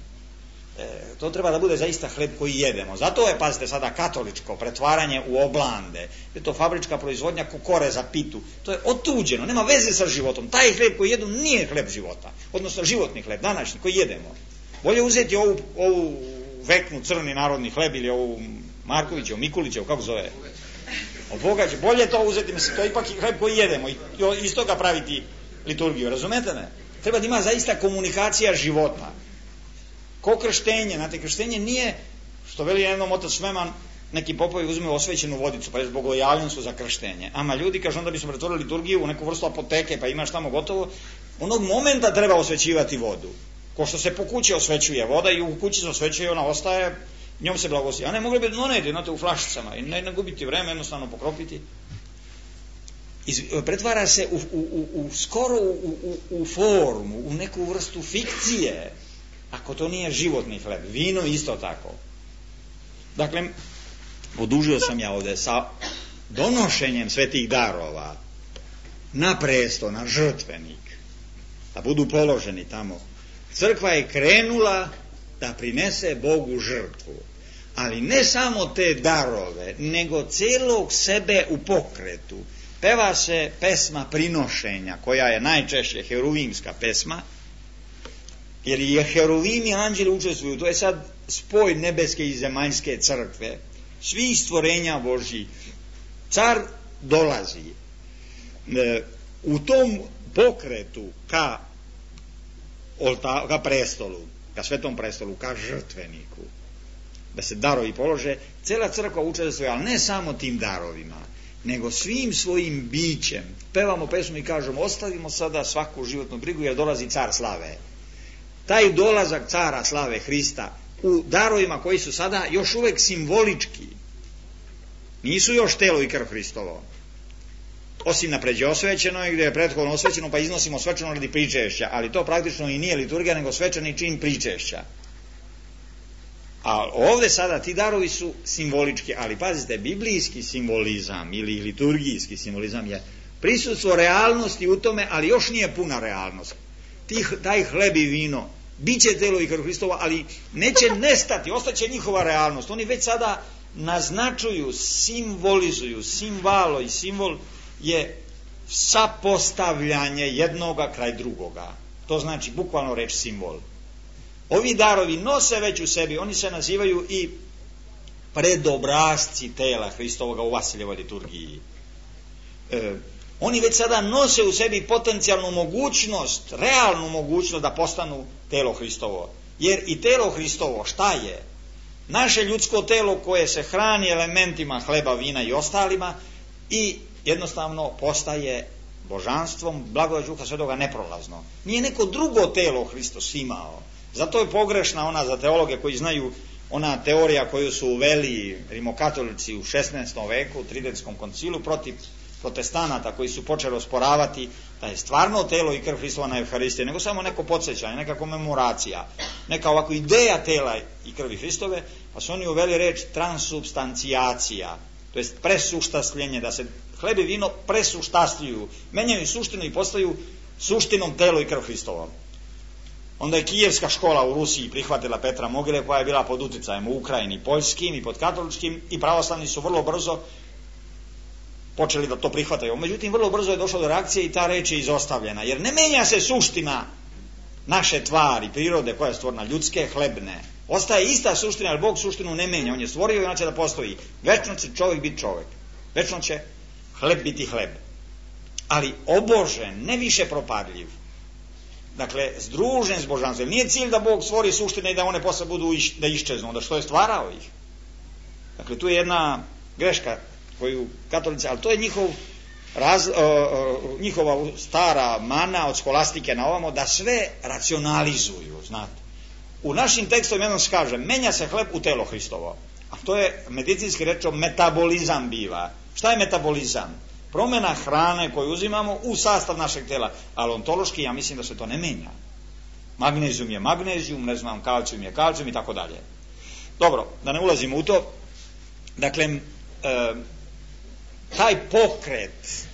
[SPEAKER 2] to treba da bude zaista hleb koji jedemo. Zato je, pazite sada, katoličko pretvaranje u oblande, je to fabrička proizvodnja kukore za pitu, to je otuđeno, nema veze sa životom. Taj hleb koji jedu nije hleb života, odnosno životni hleb, današnji, koji jedemo. Bolje uzeti ovu veknu crni narodni hleb ili ovu Markovićev, Mikulićev, kako zove? Obogađe, bolje to uzeti, mislim, to je ipak hleb koji jedemo i iz toga praviti liturgiju, razumete me? Treba da ima zaista komunikacija života. Ko krštenje, znate, krštenje nije, što veli jednom otac Šmeman, neki popovi uzme osvećenu vodicu, pa je bogojavljen su za krštenje. Ama ljudi, kaže, onda bismo pretvorili liturgiju u neku vrstu apoteke, pa imaš tamo gotovo, onog momenta treba osvećivati vodu. Ko što se po kući osvećuje voda i u kući se osvećuje, ona ostaje njom se blagoslvi. A ne mogli bi doneti, znate, u flašicama i ne gubiti vreme, jednostavno pokropiti. Pretvara se skoro u formu, u neku vrstu fikcije, ako to nije životni hleb. Vino isto tako. Dakle, odužio sam ja ovde sa donošenjem svetih darova na presto, na žrtvenik, da budu položeni tamo. Crkva je krenula da prinese Bogu žrtvu, ali ne samo te darove, nego celog sebe u pokretu. Peva se pesma prinošenja, koja je najčešće heruvimska pesma, jer je heruvim i anđeli učestvuju. To je sad spoj nebeske i zemaljske crkve, svih stvorenja Božjih. Car dolazi u tom pokretu ka prestolu, ka svetom prestolu, ka žrtveniku, da se darovi polože. Cela crkva učestvuje, ali ne samo tim darovima, nego svim svojim bićem. Pevamo pesmu i kažemo, ostavimo sada svaku životnu brigu, jer dolazi car slave. Taj dolazak cara slave Hrista u darovima koji su sada još uvek simbolički, nisu još telo i krv Hristovo, osim na pređe osvećeno i gdje je prethodno osvećeno, pa iznosimo svečano radi pričešća, ali to praktično i nije liturgija, nego svečani čin pričešća. A ovde sada ti darovi su simbolički, ali pazite, biblijski simbolizam ili liturgijski simbolizam je prisustvo realnosti u tome, ali još nije puna realnost. Taj hleb i vino biće telo i krv Hristova, ali neće nestati, ostaće njihova realnost. Oni već sada naznačuju, simbolizuju. Simbolo i simbol je sapostavljanje jednoga kraj drugoga. To znači bukvalno reč simbol. Ovi darovi nose već u sebi, oni se nazivaju i predobrazci tela Hristovoga u Vasiljevoj liturgiji. Oni već sada nose u sebi potencijalnu mogućnost, realnu mogućnost da postanu telo Hristovo. Jer i telo Hristovo šta je? Naše ljudsko telo koje se hrani elementima hleba, vina i ostalima i jednostavno postaje božanstvom, blagodat Duha Svetoga neprolazno. Nije neko drugo telo Hristos imao. Zato je pogrešna ona za teologe koji znaju, ona teorija koju su uveli rimokatolici u 16. veku, u Tridentskom koncilu, protiv protestanata koji su počeli osporavati da je stvarno telo i krv Hristova na Evharistiji, nego samo neko podsjećanje, neka komemoracija, neka ovako ideja tela i krvi Hristove, pa su oni uveli reč transubstancijacija, to jest presuštasljenje, da se hleb i vino presuštasljuju, menjaju suštinu i postaju suštinom telo i krv Hristovo. Onda je Kijevska škola u Rusiji prihvatila Petra Mogile, koja je bila pod uticajem u Ukrajini poljskim i pod katoličkim, i pravoslavni su vrlo brzo počeli da to prihvataju. Međutim, vrlo brzo je došlo do reakcije i ta reč je izostavljena, jer ne menja se suština naše tvari, prirode koja je stvorena, ljudske, hlebne. Ostaje ista suština, jer Bog suštinu ne menja, on je stvorio i ona će da postoji. Večno će čovjek biti čovjek, večno će hleb biti hleb, ali obožen, ne više propadljiv. Dakle, združen s božanstvom. Nije cilj da Bog stvori suštine i da one posle budu da iščeznu, da što je stvarao ih. Dakle, tu je jedna greška koju katolici, ali to je njihova stara mana od skolastike na ovamo, da sve racionalizuju, znate. U našim tekstovima jednom se kaže, menja se hleb u telo Hristovo, a to je medicinski rečom metabolizam biva. Šta je metabolizam? Promjena hrane koju uzimamo u sastav našeg tela, ali ontološki ja mislim da se to ne menja. Magnezijum je magnezijum, ne znam, kalcijum je kalcijum i tako dalje. Dobro, da ne ulazimo u to. Dakle, taj pokret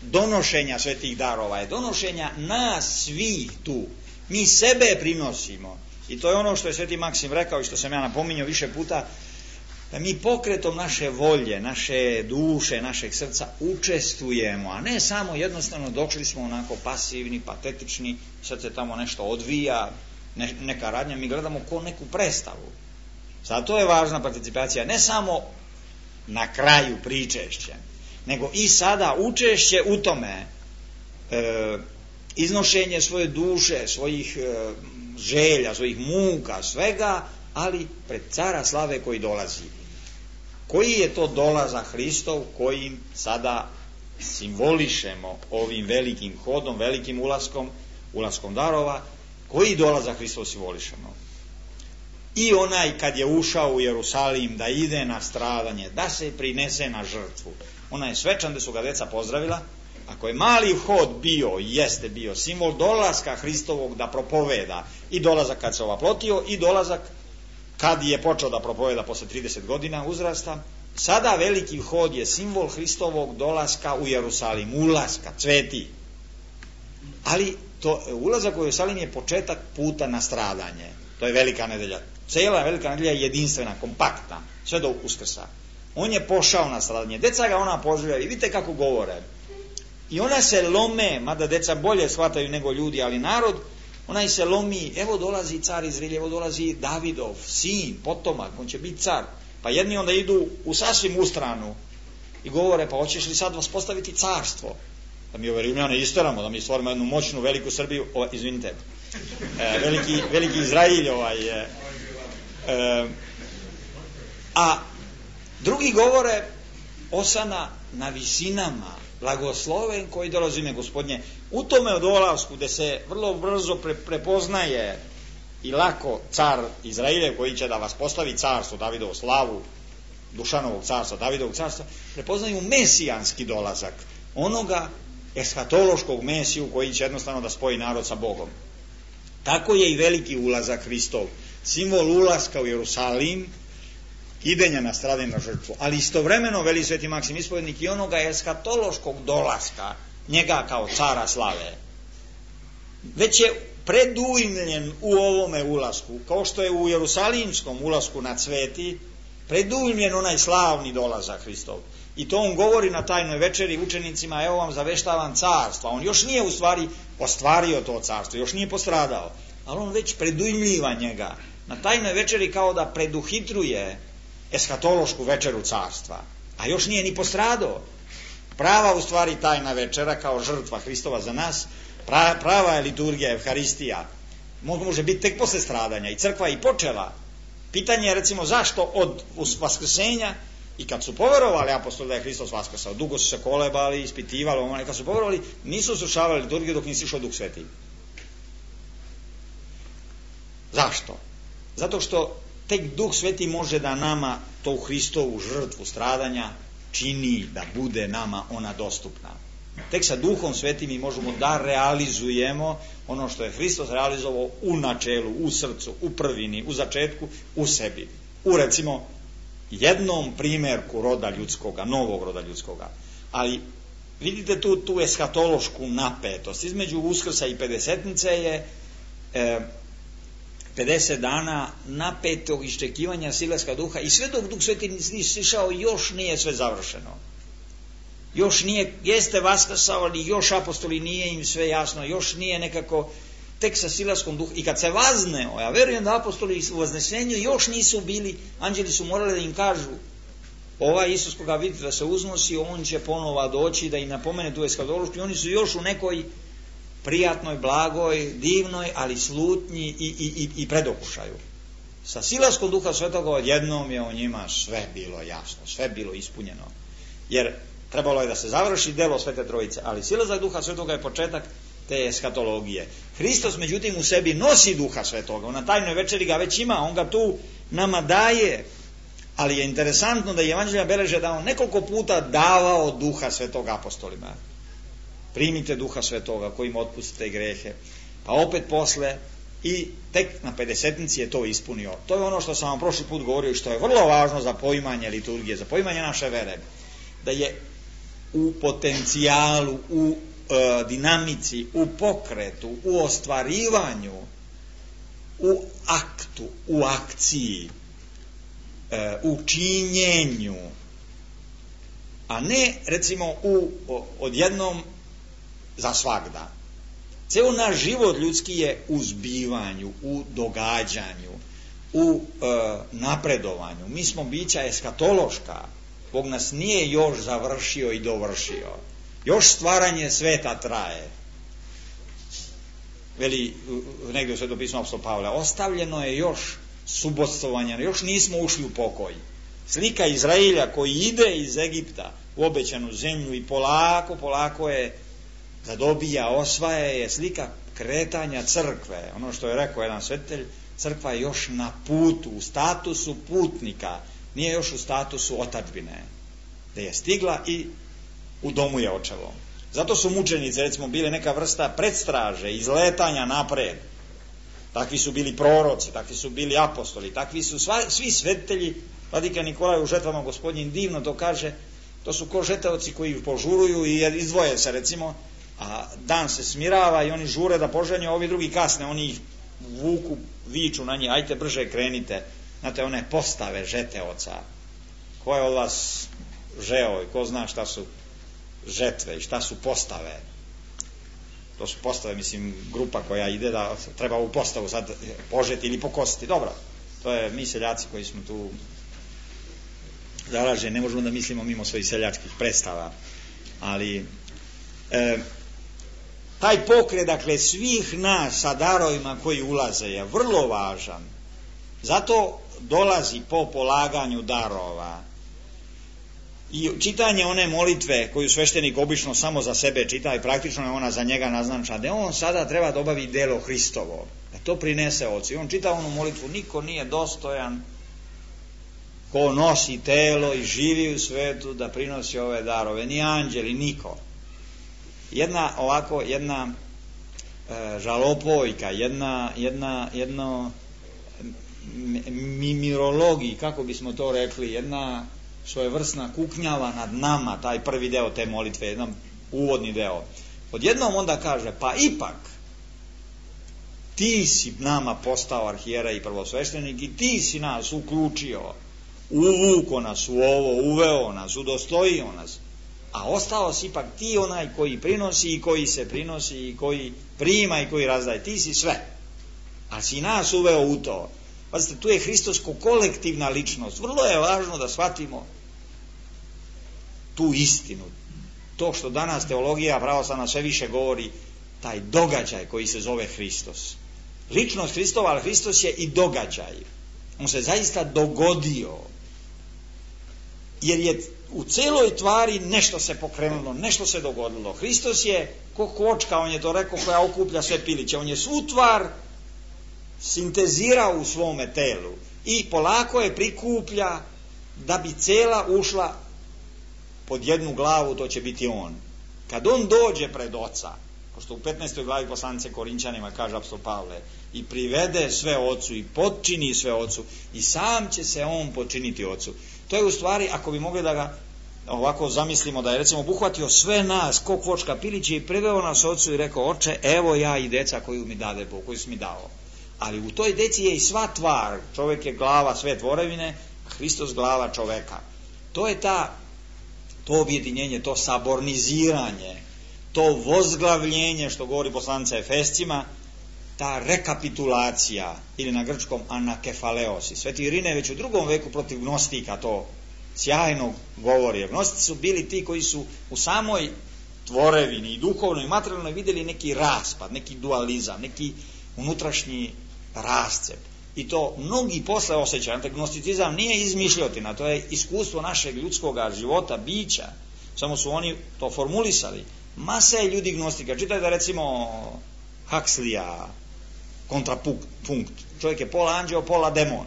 [SPEAKER 2] donošenja svetih darova je donošenja nas svih tu. Mi sebe prinosimo. I to je ono što je sveti Maksim rekao i što sam ja napominjao više puta, da mi pokretom naše volje, naše duše, našeg srca učestvujemo, a ne samo jednostavno došli smo onako pasivni, patetični, sad se tamo nešto odvija, neka radnja, mi gledamo ko neku predstavu. Zato je važna participacija, ne samo na kraju pričešća, nego i sada učešće u tome, iznošenje svoje duše, svojih želja, svojih muka, svega, ali pred cara slave koji dolazi. Koji je to dolazak Hristov kojim sada simbolišemo ovim velikim hodom, velikim ulaskom darova, koji dolazak Hristov simbolišemo? i onaj kad je ušao u Jerusalim da ide na stradanje, da se prinese na žrtvu. Onaj svečan gde su ga deca pozdravila, ako je mali vhod bio, jeste bio simbol dolaska Hristovog da propoveda, i dolazak kad se ovaplotio i dolazak kad je počeo da propoveda posle 30 godina uzrasta, sada veliki vhod je simbol Hristovog dolaska u Jerusalim, ulaska, cveti. Ali ulazak u Jerusalim je početak puta na stradanje. To je velika nedelja. Cijela velika nedelja je jedinstvena, kompaktna, sve do Uskrsa. On je pošao na stradanje. Deca ga ona pozdravlja i vidite kako govore. I ona se lome, mada deca bolje shvataju nego ljudi, ali narod, onaj se lomi, evo dolazi car Izraelja, evo dolazi Davidov sin, potomak, on će biti car. Pa jedni onda idu u sasvim ustranu i govore, pa hoćeš li sad vas postaviti carstvo? Da mi ove Rimljane isteramo, da mi stvorimo jednu moćnu veliku Srbiju, izvinite, veliki Izrael a drugi govore, osana na visinama, blagosloven koji dolazi ime Gospodnje. U tome odolasku gde se vrlo brzo prepoznaje i lako car Izraeljev koji će da vas postavi carstvo, Davidovu slavu, Dušanovog carstva, Davidovog carstva, prepoznaju mesijanski dolazak, onoga eshatološkog Mesiju koji će jednostavno da spoji narod sa Bogom. Tako je i veliki ulazak Hristov, simbol ulaska u Jerusalim, idenja na stradanje na žrtvu, ali istovremeno, veli sveti Maksim Ispovednik, i onoga eshatološkog dolaska, njega kao cara slave. Već je predujmljen u ovome ulasku, kao što je u jerusalimskom ulasku na cveti, predujmljen onaj slavni dolazak Hristov. I to on govori na tajnoj večeri učenicima, evo vam zaveštavam carstva. On još nije u stvari ostvario to carstvo, još nije postradao, ali on već predujmljiva njega. Na tajnoj večeri kao da preduhitruje eshatološku večeru carstva, a još nije ni postradao. Prava u stvari tajna večera kao žrtva Hristova za nas, prava je liturgija, Evharistija, može biti tek posle stradanja, i crkva i počela. Pitanje je recimo zašto od vaskrsenja, i kad su poverovali apostoli da je Hristos vaskrsao, dugo su se kolebali, ispitivali, kad su poverovali, nisu slušavali liturgiju dok nisi išao Duh Sveti. Zašto? Zato što tek Duh Sveti može da nama to Hristovu žrtvu stradanja čini da bude nama ona dostupna. Tek sa Duhom Svetim mi možemo da realizujemo ono što je Hristos realizovao u načelu, u srcu, u prvini, u začetku, u sebi. U recimo jednom primjerku roda ljudskoga, novog roda ljudskoga. Ali vidite tu eshatološku napetost. Između Uskrsa i Pedesetnice je 50 dana napetog iščekivanja silaska Duha, i sve dok Duh Sveti nije sišao, još nije sve završeno. Još nije, jeste vaskrsao, ali još apostoli nije im sve jasno, još nije nekako, tek sa silaskom Duha. I kad se vazneo, ja verujem da apostoli u vaznesenju još nisu bili, anđeli su morali da im kažu, ovaj Isus koga vidite da se uznosi, on će ponova doći da im napomene tu eshatološku, i oni su još u nekoj prijatnoj, blagoj, divnoj, ali slutnji i predokušaju. Sa silaskom Duha Svetoga odjednom je o njima sve bilo jasno, sve bilo ispunjeno. Jer trebalo je da se završi delo Svete Trojice, ali silazak Duha Svetoga je početak te eshatologije. Hristos međutim u sebi nosi Duha Svetoga, on na tajnoj večeri ga već ima, on ga tu nama daje, ali je interesantno da evanđelja beleže da on nekoliko puta davao Duha Svetoga apostolima. Primite Duha Svetoga kojim otpustite grehe, pa opet posle, i tek na Pedesetnici je to ispunio. To je ono što sam vam prošli put govorio i što je vrlo važno za poimanje liturgije, za poimanje naše vere, da je u potencijalu, u dinamici, u pokretu, u ostvarivanju, u aktu, u akciji, u činjenju, a ne recimo u odjednom za svagda. Ceo naš život ljudski je u zbivanju, u događanju, u napredovanju. Mi smo bića eshatološka. Bog nas nije još završio i dovršio. Još stvaranje sveta traje. Veli negdje u Svetom pismu apostol Pavle, ostavljeno je još subotstvovanje, još nismo ušli u pokoj. Slika Izraelja koji ide iz Egipta u obećanu zemlju i polako je zadobija, osvaja, je slika kretanja crkve. Ono što je rekao jedan svetitelj, Crkva je još na putu, u statusu putnika, nije još u statusu otadžbine, da je stigla i u domu je očevo. Zato su mučenici, recimo, bili neka vrsta predstraže, izletanja napred. Takvi su bili proroci, takvi su bili apostoli, takvi su svi svetitelji. Vladika Nikolaj u žetvama gospodnjim divno to kaže, to su ko žeteoci koji požuruju i izdvoje se, recimo, a dan se smirava i oni žure da poženju, a ovi drugi kasne, oni ih vuku, viču na njih, ajte brže krenite. Znate, one postave žeteoca. Ko je od vas žeo i ko zna šta su žetve i šta su postave? To su postave, mislim, grupa koja ide da treba u postavu sad požeti ili pokositi. Dobro, to je mi seljaci koji smo tu zaraženi, ne možemo da mislimo mimo svojih seljačkih predstava. Ali taj pokret, dakle, svih nas sa darovima koji ulaze je vrlo važan. Zato dolazi po polaganju darova. I čitanje one molitve koju sveštenik obično samo za sebe čita i praktično je ona za njega naznačena, da on sada treba da obavi delo Hristovo, da to prinese ocu. I on čita onu molitvu, niko nije dostojan ko nosi telo i živi u svetu da prinosi ove darove, ni anđeli, niko. Jedna žalopojka, jedno mimirologiji, kako bismo to rekli, jedna svojevrsna kuknjava nad nama, taj prvi deo te molitve, jedan uvodni deo. Odjednom onda kaže, pa ipak ti si nama postao arhijerej i prvosveštenik i ti si nas uključio, uvuko nas u ovo, uveo nas, udostojio nas, a ostao si ipak ti onaj koji prinosi i koji se prinosi i koji prima i koji razdaje. Ti si sve, a si nas uveo u to. Pazite, tu je hristosko kolektivna ličnost. Vrlo je važno da shvatimo tu istinu. To što danas teologija pravoslavna sve više govori, taj događaj koji se zove Hristos. Ličnost Hristova, ali Hristos je i događaj. On se zaista dogodio. Jer je u celoj tvari nešto se pokrenulo, nešto se dogodilo. Hristos je ko kočka, on je to rekao, koja okuplja sve piliće. On je svu tvar sintezirao u svome telu i polako je prikuplja da bi cela ušla pod jednu glavu, to će biti on. Kad on dođe pred oca, kao što u 15. glavi poslanice Korinćanima kaže apostol Pavle, i privede sve ocu i potčini sve ocu i sam će se on počiniti ocu. To je u stvari, ako bi mogli da ga ovako zamislimo, da je recimo obuhvatio sve nas ko kvočka piliće i priveo nas ocu i rekao, oče, evo ja i deca koju mi dade Bog, koju si mi dao. Ali u toj deci je i sva tvar. Čovjek je glava sve tvorevine, a Hristos glava čoveka. To je to objedinjenje, to saborniziranje, to vozglavljenje, što govori poslanica Efescima, ta rekapitulacija, ili na grčkom anakefaleos. Sveti Irine već u 2. veku protiv gnostika to sjajno govori. Gnostici su bili ti koji su u samoj tvorevini i duhovnoj i materijalnoj vidjeli neki raspad, neki dualizam, neki unutrašnji rascep. I to mnogi posle osjećaju. Gnosticizam nije izmišljotina, to je iskustvo našeg ljudskog života, bića. Samo su oni to formulisali. Masa je ljudi gnostika. Čitajte recimo Huxleya, kontrapunkt. Čovjek je pola anđeo, pola demon.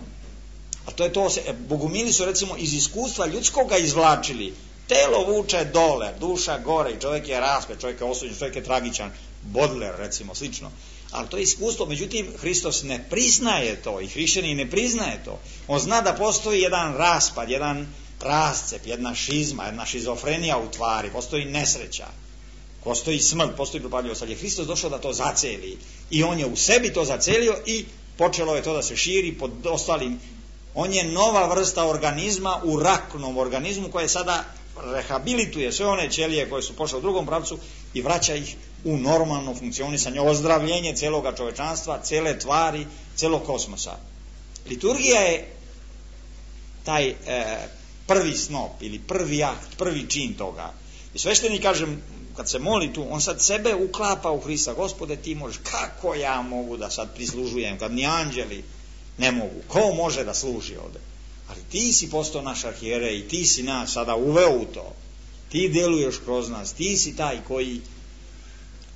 [SPEAKER 2] A to je to, bogumili su recimo iz iskustva ljudskoga izvlačili. Telo vuče dole, duša gore i čovjek je raspet, čovjek je osuđen, čovjek je tragičan. Baudelaire recimo, slično. Ali to je iskustvo, međutim, Hristos ne priznaje to i hrišćanin ne priznaje to. On zna da postoji jedan raspad, jedan rascep, jedna šizma, jedna šizofrenija u tvari, postoji nesreća, postoji smrt, postoji propadljivost, ali je Hristos došao da to zaceli i on je u sebi to zacelio i počelo je to da se širi pod ostalim. On je nova vrsta organizma u raknom organizmu koje sada rehabilituje sve one ćelije koje su pošle u drugom pravcu i vraća ih u normalno funkcionisanje, ozdravljenje celoga čovečanstva, cele tvari, celog kosmosa. Liturgija je taj prvi snop ili prvi akt, prvi čin toga. I sveštenik, kažem, kad se moli tu, on sad sebe uklapa u Hrista. Gospode, ti možeš, kako ja mogu da sad prislužujem, kad ni anđeli ne mogu, ko može da služi ovde? Ali ti si postao naš arhijerej i ti si nas sada uveo u to. Ti deluješ kroz nas, ti si taj koji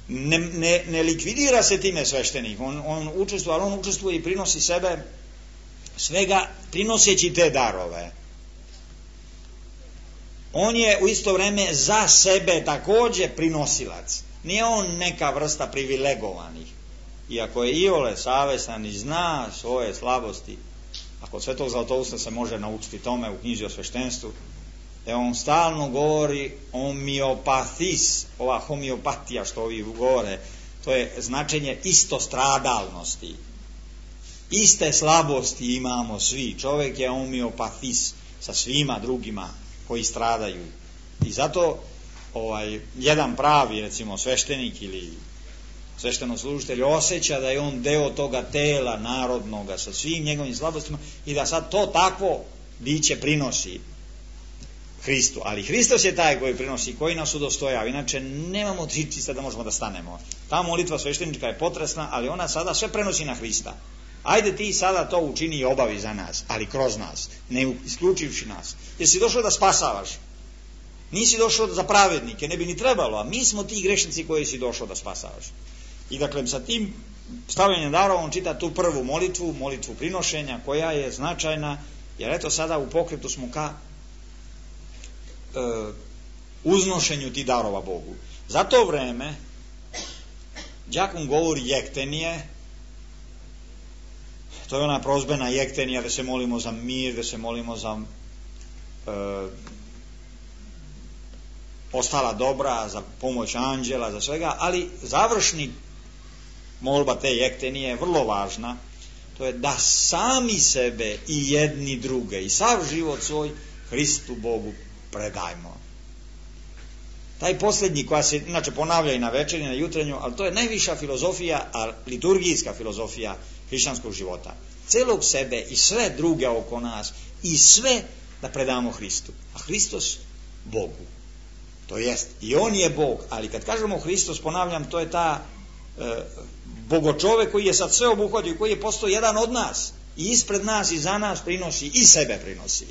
[SPEAKER 2] Ne likvidira se time sveštenik, on učestvuje, ali on učestvuje i prinosi sebe, svega prinoseći te darove. On je u isto vreme za sebe također prinosilac. Nije on neka vrsta privilegovanih. Iako je iole savestan i zna svoje slabosti, a kod Svetog Zlatousta se može naučiti tome u knjizi o sveštenstvu, on stalno govori homeopathis, ova homeopatija što ovi govore, to je značenje istostradalnosti. Iste slabosti imamo svi. Čovjek je homeopathis sa svima drugima koji stradaju. I zato jedan pravi, recimo, sveštenik ili sveštenoslужitelj osjeća da je on deo toga tela narodnoga sa svim njegovim slabostima i da sad to takvo biće prinosi Hristu. Ali Hristos je taj koji prinosi, koji nas udostojava. Inače nemamo čista da možemo da stanemo. Ta molitva sveštenička je potresna, ali ona sada sve prenosi na Hrista. Ajde ti sada to učini i obavi za nas, ali kroz nas, ne isključivši nas. Jer si došao da spasavaš. Nisi došao za pravednike, ne bi ni trebalo, a mi smo ti grešnici koji si došao da spasavaš. I dakle, sa tim stavljanjem darova on čita tu prvu molitvu prinošenja, koja je značajna, jer eto sada u pokretu smo ka uznošenju ti darova Bogu. Za to vreme đakon govori jektenije, to je ona prozbena jektenija da se molimo za mir, da se molimo za ostala dobra, za pomoć anđela, za svega, ali završni molba te jektenije je vrlo važna, to je da sami sebe i jedni druge i sav život svoj Hristu Bogu predajmo. Taj posljednji, koja se inače ponavlja i na večernju i na jutrenju, ali to je najviša filozofija, liturgijska filozofija hrišćanskog života. Celog sebe i sve druge oko nas i sve da predamo Hristu. A Hristos Bogu. To jest, i on je Bog, ali kad kažemo Hristos, ponavljam, to je ta bogočovek koji je sad sve obuhvatio, koji je postao jedan od nas i ispred nas i za nas prinosi i sebe prinosi.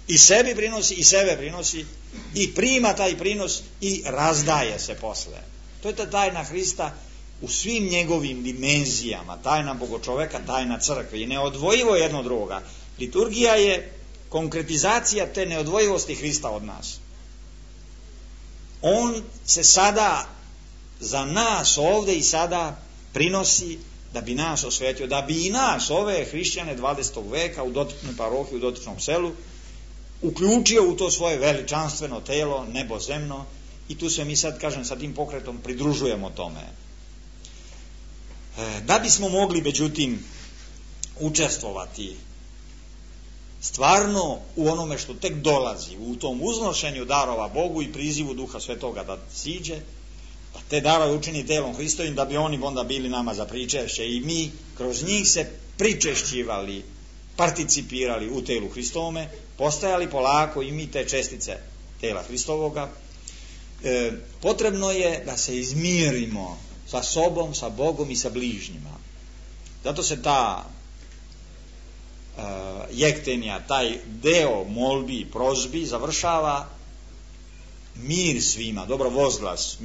[SPEAKER 2] I sebi prinosi i sebe prinosi i prima taj prinos i razdaje se posle. To je ta tajna Hrista u svim njegovim dimenzijama, tajna bogočoveka, tajna crkve i neodvojivo jedno od drugoga. Liturgija je konkretizacija te neodvojivosti Hrista od nas. On se sada za nas ovdje i sada prinosi da bi nas osvetio, da bi i nas, ove hrišćane 20. veka u dotičnoj parohiji, u dotičnom selu, uključio u to svoje veličanstveno telo, nebozemno, i tu se mi sad, kažem, sa tim pokretom pridružujemo tome. Da bismo mogli, međutim, učestvovati stvarno u onome što tek dolazi, u tom uznošenju darova Bogu i prizivu Duha Svetoga da siđe, da te darove učini telom Hristovim, da bi oni onda bili nama za pričešće i mi kroz njih se pričešćivali, participirali u telu Hristovome, postajali polako i mi te čestice tela Hristovoga. Potrebno je da se izmirimo sa sobom, sa Bogom i sa bližnjima. Zato se ta jektenija, taj deo molbi i prozbi završava mir svima, dobro vozglas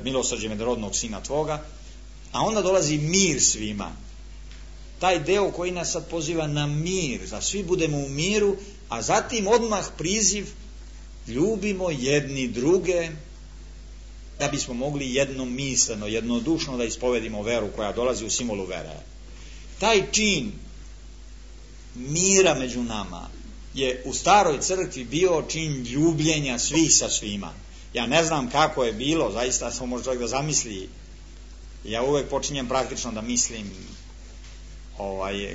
[SPEAKER 2] milosrđe medorodnog Sina Tvoga, a onda dolazi mir svima. Taj deo koji nas sad poziva na mir, da svi budemo u miru, a zatim odmah priziv ljubimo jedni druge, da bismo mogli jednomisleno, jednodušno da ispovedimo veru koja dolazi u simbolu vere. Taj čin mira među nama je u staroj crkvi bio čin ljubljenja svih sa svima. Ja ne znam kako je bilo, zaista samo može čovjek da zamisli. Ja uvek počinjem praktično da mislim,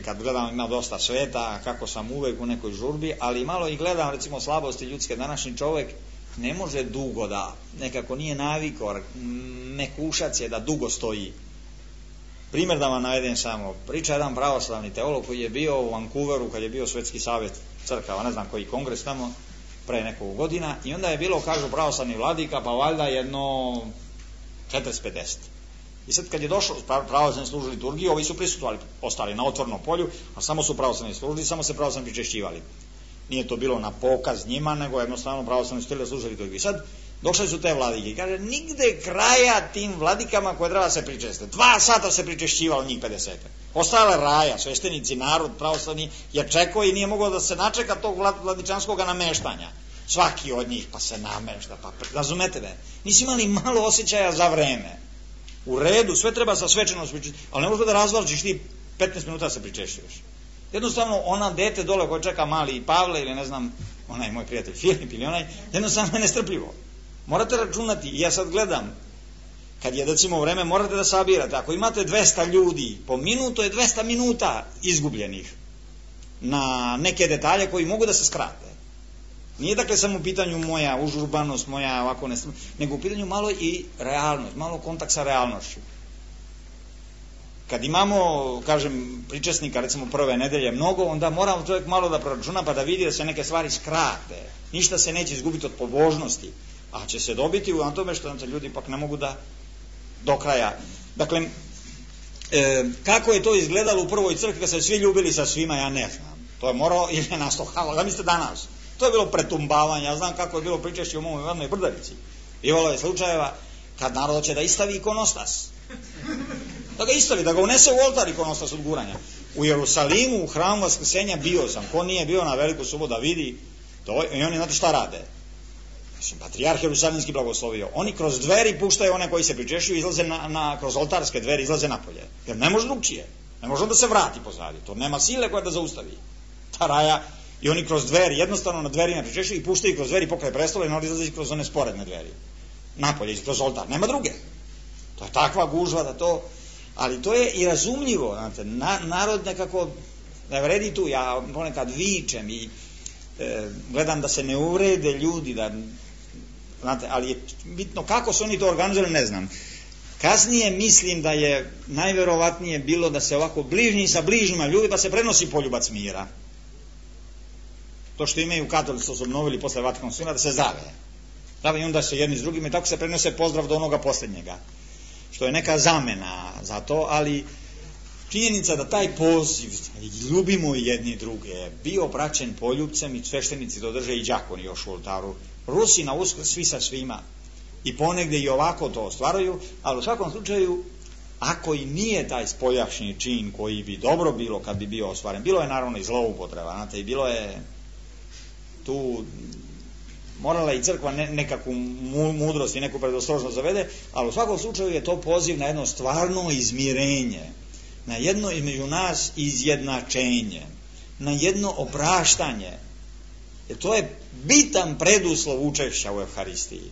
[SPEAKER 2] kad gledam, ima dosta sveta, kako sam uvek u nekoj žurbi, ali malo i gledam, recimo, slabosti ljudske. Današnji čovjek ne može dugo da, nekako nije navikao, mekušac je da dugo stoji. Primjer da vam navedem samo, priča jedan pravoslavni teolog koji je bio u Vancouveru kad je bio Svetski savjet crkava, ne znam koji kongres tamo, pre nekog godina, i onda je bilo, kažu pravoslavni vladika, pa valjda jedno 40-50. I sad kad je došlo, pravoslavni služili liturgiju, ovi su prisutovali, ostali na otvornom polju, a samo su pravoslavni služili, samo se pravoslavni pričešćivali. Nije to bilo na pokaz njima, nego jednostavno pravoslavni su htjeli da slušaju liturgiju. Sad došle su te vladike i kaže, nigde kraja tim vladikama koje treba se pričestiti. 2 sata se pričešćivalo njih 50. Ostale raja, sveštenici, narod pravoslavni je čekao i nije mogao da se načeka tog vladičanskog nameštanja. Svaki od njih pa se namešta, pa razumete me. Nisi imali malo osjećaja za vreme. U redu, sve treba sa svečanost pričešćivati, ali ne možeš da razvlačiš ti 15 minuta se pričešćuješ. Jednostavno, ona dete dole koje čeka mali Pavle ili ne znam, onaj moj prijatelj Filip ili onaj, jednostavno je nestrpljivo. Morate računati, ja sad gledam, kad je recimo vreme, morate da sabirate. Ako imate 200 ljudi po minutu, je 200 minuta izgubljenih na neke detalje koji mogu da se skrate. Nije dakle samo u pitanju moja užurbanost, moja ovako nego u pitanju malo i realnost, malo kontakt sa realnošću. Kad imamo, kažem, pričesnika, recimo prve nedelje mnogo, onda mora čovjek malo da proračuna pa da vidi da se neke stvari skrate. Ništa se neće izgubiti od pobožnosti, a će se dobiti na tome što nam se ljudi pak ne mogu da do kraja. Dakle, kako je to izgledalo u prvoj crkvi kad se svi ljubili sa svima, ja ne znam. To je morao ili je nastohalo, da mislite danas. To je bilo pretumbavanje, ja znam kako je bilo pričešće u mojoj Ivannoj Brdavici. Bivalo je slučajeva kad narod će da istavi ikonostas. Da ga istavi, da ga unese u oltar ikonostas od guranja. U Jerusalimu, u hramu Vaskrsenja bio sam. Ko nije bio na Veliku subotu da vidi, to, i oni znate šta rade. Patrijarh Jerusalimski blagoslovio. Oni kroz dveri puštaju one koji se pričešćuju, izlaze kroz oltarske dveri, izlaze napolje. Jer ne može drugčije. Ne može da se vrati pozadi. To nema sile koja da zaustavi. Ta raja, i oni kroz dveri, jednostavno na dverima pričešćuju i puštaju kroz dveri pokraj prestola i onda izlaze kroz one sporedne dveri. Napolje, kroz oltar. Nema druge. To je takva gužva da to... Ali to je i razumljivo, znate, narod nekako ne vredi tu, ja ponekad vičem i gledam da se ne uvrede ljudi, da, znate, ali je bitno kako su oni to organizovali, ne znam. Kasnije mislim da je najverovatnije bilo da se ovako bližnji sa bližnjima ljudi, pa se prenosi poljubac mira. To što imaju katolici, su obnovili posle Vatikanskog sinodalja, da se zdrave i onda se jedni s drugima i tako se prenose pozdrav do onoga posljednjega. Što je neka zamena za to, ali činjenica da taj poziv ljubimo jedni druge bio praćen poljubcem i sveštenici to drže i đakoni još u oltaru. Rusi na Uskrs svi sa svima i ponegde i ovako to ostvaruju, ali u svakom slučaju ako i nije taj spoljašnji čin koji bi dobro bilo kad bi bio ostvaren, bilo je naravno i zloupotreba, znate, i bilo je tu morala i crkva nekakvu mudrost i neku predostrožnost zavede, ali u svakom slučaju je to poziv na jedno stvarno izmirenje, na jedno između nas izjednačenje, na jedno opraštanje. Jer to je bitan preduslov učešća u Evharistiji.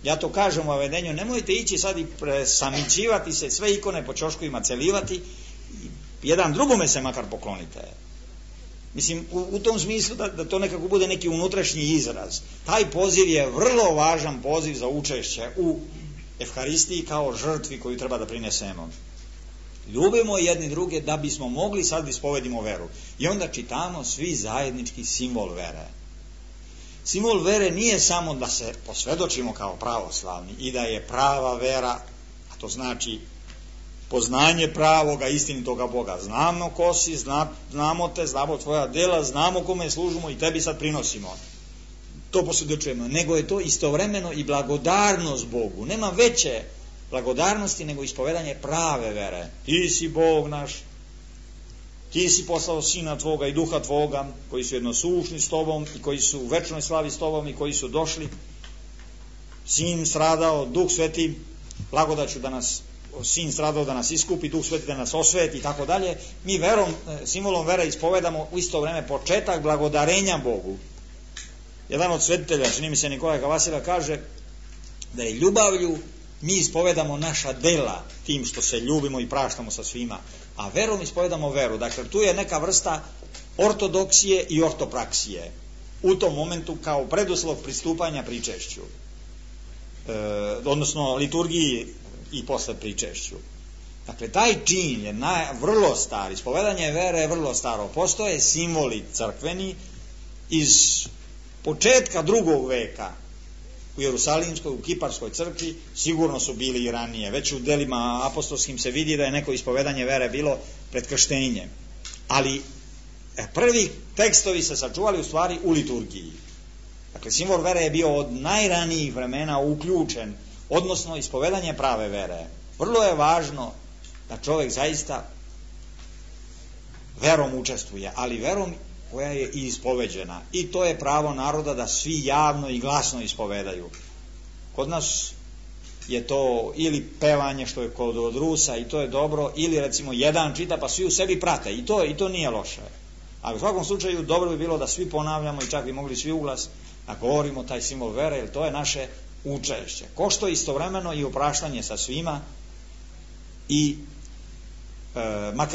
[SPEAKER 2] Ja to kažem u avedenju, nemojte ići sad i presamićivati se, sve ikone po ćoškovima celivati, jedan drugome se makar poklonite. Mislim, u tom smislu da to nekako bude neki unutrašnji izraz. Taj poziv je vrlo važan poziv za učešće u Evharistiji kao žrtvi koju treba da prinesemo. Ljubimo jedni druge da bismo mogli sad da ispovedimo veru. I onda čitamo svi zajednički simbol vere. Simbol vere nije samo da se posvedočimo kao pravoslavni i da je prava vera, a to znači poznanje pravoga, istinitoga Boga. Znamo ko si, znamo te, znamo tvoja dela, znamo kome služimo i tebi sad prinosimo. To posvjedočujemo. Nego je to istovremeno i blagodarnost Bogu. Nema veće blagodarnosti nego ispovedanje prave vere. Ti si Bog naš, ti si poslao Sina tvoga i Duha tvoga, koji su jednosušni s tobom i koji su u večnoj slavi s tobom i koji su došli. Sin stradao, Duh Sveti, blagodaću da nas Sin stradao da nas iskupi, Duh Sveti da nas osveti i tako dalje. Mi verom, simbolom vere ispovedamo u isto vreme početak blagodarenja Bogu. Jedan od svetitelja, čini mi se Nikolaj Kavasila, kaže da je ljubavlju mi ispovedamo naša dela tim što se ljubimo i praštamo sa svima, a verom ispovedamo veru. Dakle, tu je neka vrsta ortodoksije i ortopraksije u tom momentu kao preduslov pristupanja pričešću, odnosno liturgiji i posle pričešću. Dakle, taj čin je vrlo star, ispovedanje vere je vrlo staro. Postoje simboli crkveni iz početka 2. veka u Jerusalimskoj, u Kiparskoj crkvi, sigurno su bili i ranije. Već u delima apostolskim se vidi da je neko ispovedanje vere bilo pred krštenjem. Ali Prvi tekstovi se sačuvali u stvari u liturgiji. Dakle, simbol vere je bio od najranijih vremena uključen, odnosno ispovedanje prave vere. Vrlo je važno da čovjek zaista verom učestvuje, ali verom koja je i ispoveđena. I to je pravo naroda da svi javno i glasno ispovedaju. Kod nas je to ili pevanje, što je kod Rusa, i to je dobro, ili recimo jedan čita pa svi u sebi prate, i to nije loše. Ali u svakom slučaju dobro bi bilo da svi ponavljamo i čak bi mogli svi uglas da govorimo taj simbol vere, jer to je naše učešće. Ko što istovremeno i opraštanje sa svima i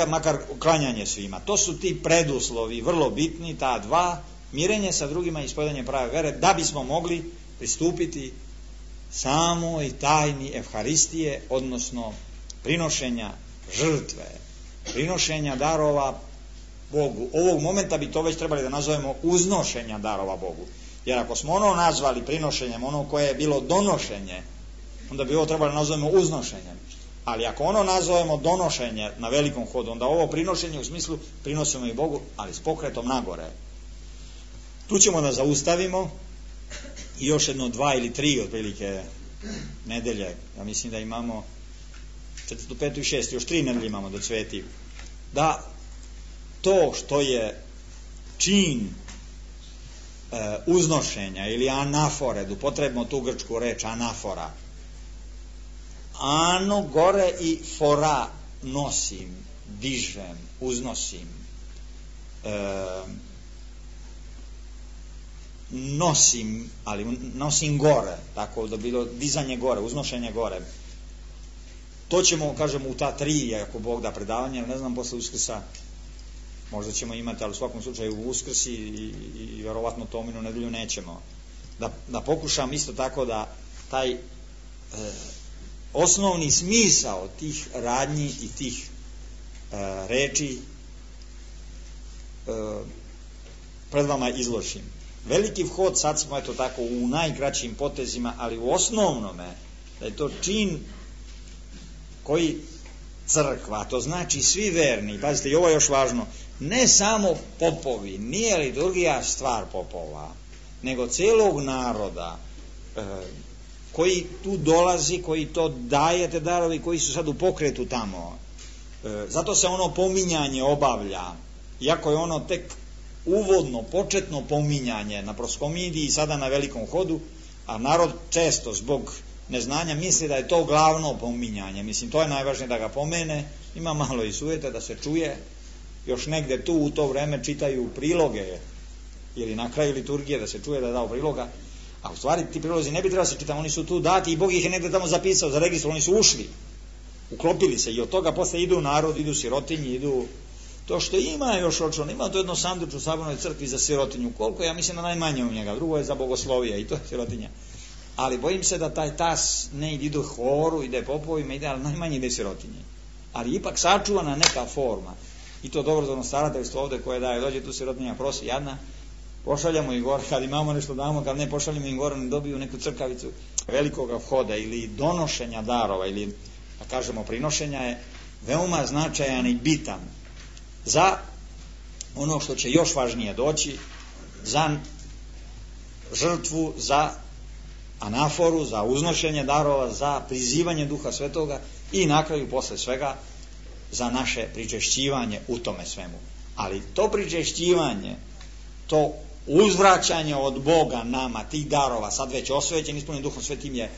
[SPEAKER 2] makar klanjanje svima. To su ti preduslovi vrlo bitni, ta dva, mirenje sa drugima i ispovedanje prave vere, da bismo mogli pristupiti samoj tajni Evharistije, odnosno prinošenja žrtve, prinošenja darova Bogu. Ovog momenta bi to već trebali da nazovemo uznošenja darova Bogu. Jer ako smo ono nazvali prinošenjem, ono koje je bilo donošenje, onda bi ovo trebali da nazovemo uznošenjem. Ali ako ono nazovemo donošenje na velikom hodu, onda ovo prinošenje u smislu prinosimo i Bogu, ali s pokretom nagore. Tu ćemo da zaustavimo i još 1, 2 ili 3 otprilike nedelje. Ja mislim da imamo 4., 5. i 6. još 3 nedelje imamo do cveti. Da to što je čin uznošenja ili anafore, da upotrebimo tu grčku reč anafora, ano gore i fora, nosim, dižem, uznosim, nosim, ali nosim gore, tako da bilo dizanje gore, uznošenje gore. To ćemo, kažemo, u ta 3, ako Bog da, predavanja, ne znam, posle Uskrsa možda ćemo imati, ali u svakom slučaju u Uskrs i vjerovatno Tominu nedelju nećemo. Da pokušam isto tako da taj osnovni smisao tih radnji i tih reči pred vama izložim. Veliki vhod, sad smo eto tako u najkraćim potezima, ali u osnovnome da je to čin koji crkva, to znači svi verni, pazite, i ovo je još važno, ne samo popovi, nije liturgija stvar popova, nego celog naroda koji tu dolazi, koji to daje te darovi, koji su sad u pokretu tamo. Zato se ono pominjanje obavlja, iako je ono tek uvodno, početno pominjanje na proskomidiji i sada na velikom hodu, a narod često zbog neznanja misli da je to glavno pominjanje. Mislim, to je najvažnije da ga pomene, ima malo i sujete da se čuje, još negde tu u to vreme čitaju priloge ili na kraju liturgije da se čuje da je dao priloga, a u stvari ti prilozi ne bi trebali se čitati, oni su tu dati i Bog ih je negde tamo zapisao za registru, oni su ušli, uklopili se i od toga posle idu narod, idu sirotinji, idu to što ima još očon, ima to jedno sanduč u Sabornoj crkvi za sirotinju, koliko, ja mislim da najmanje u njega, drugo je za bogoslovije i to je sirotinja, ali bojim se da taj tas ne ide horu, ide popovima, ide, ali najmanje ide sirotinji, ali ipak sačuvana neka forma. I to dobrovoljno starateljstvo ovde koje daje, dođe tu sirotinja, prosi, jadna, pošaljamo ih gore, kad imamo nešto damo, kad ne pošaljamo ih gore, ne dobiju neku crkavicu velikoga vhoda ili donošenja darova ili, da kažemo, prinošenja je veoma značajan i bitan za ono što će još važnije doći, za žrtvu, za anaforu, za uznošenje darova, za prizivanje Duha Svetoga i na kraju posle svega za naše pričešćivanje u tome svemu. Ali to pričešćivanje, to uzvraćanje od Boga nama, tih darova, sad već osvećen, ispunjen Duhom Svetim je,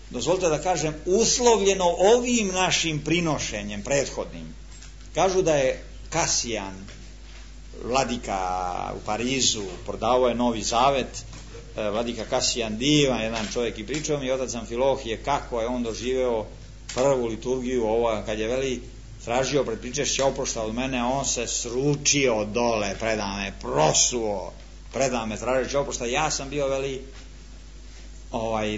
[SPEAKER 2] dozvolite da kažem, uslovljeno ovim našim prinošenjem prethodnim. Kažu da je Kasijan, vladika u Parizu, prodao je Novi Zavet, vladika Kasijan divan, jedan čovjek, i pričao mi otac Amfilohije kako je on doživeo prvu liturgiju, ovo kad je veli tražio pred pričešće oprošta od mene, on se sručio dole, predame, prosuo, predame, tražeći oprošta. Ja sam bio veli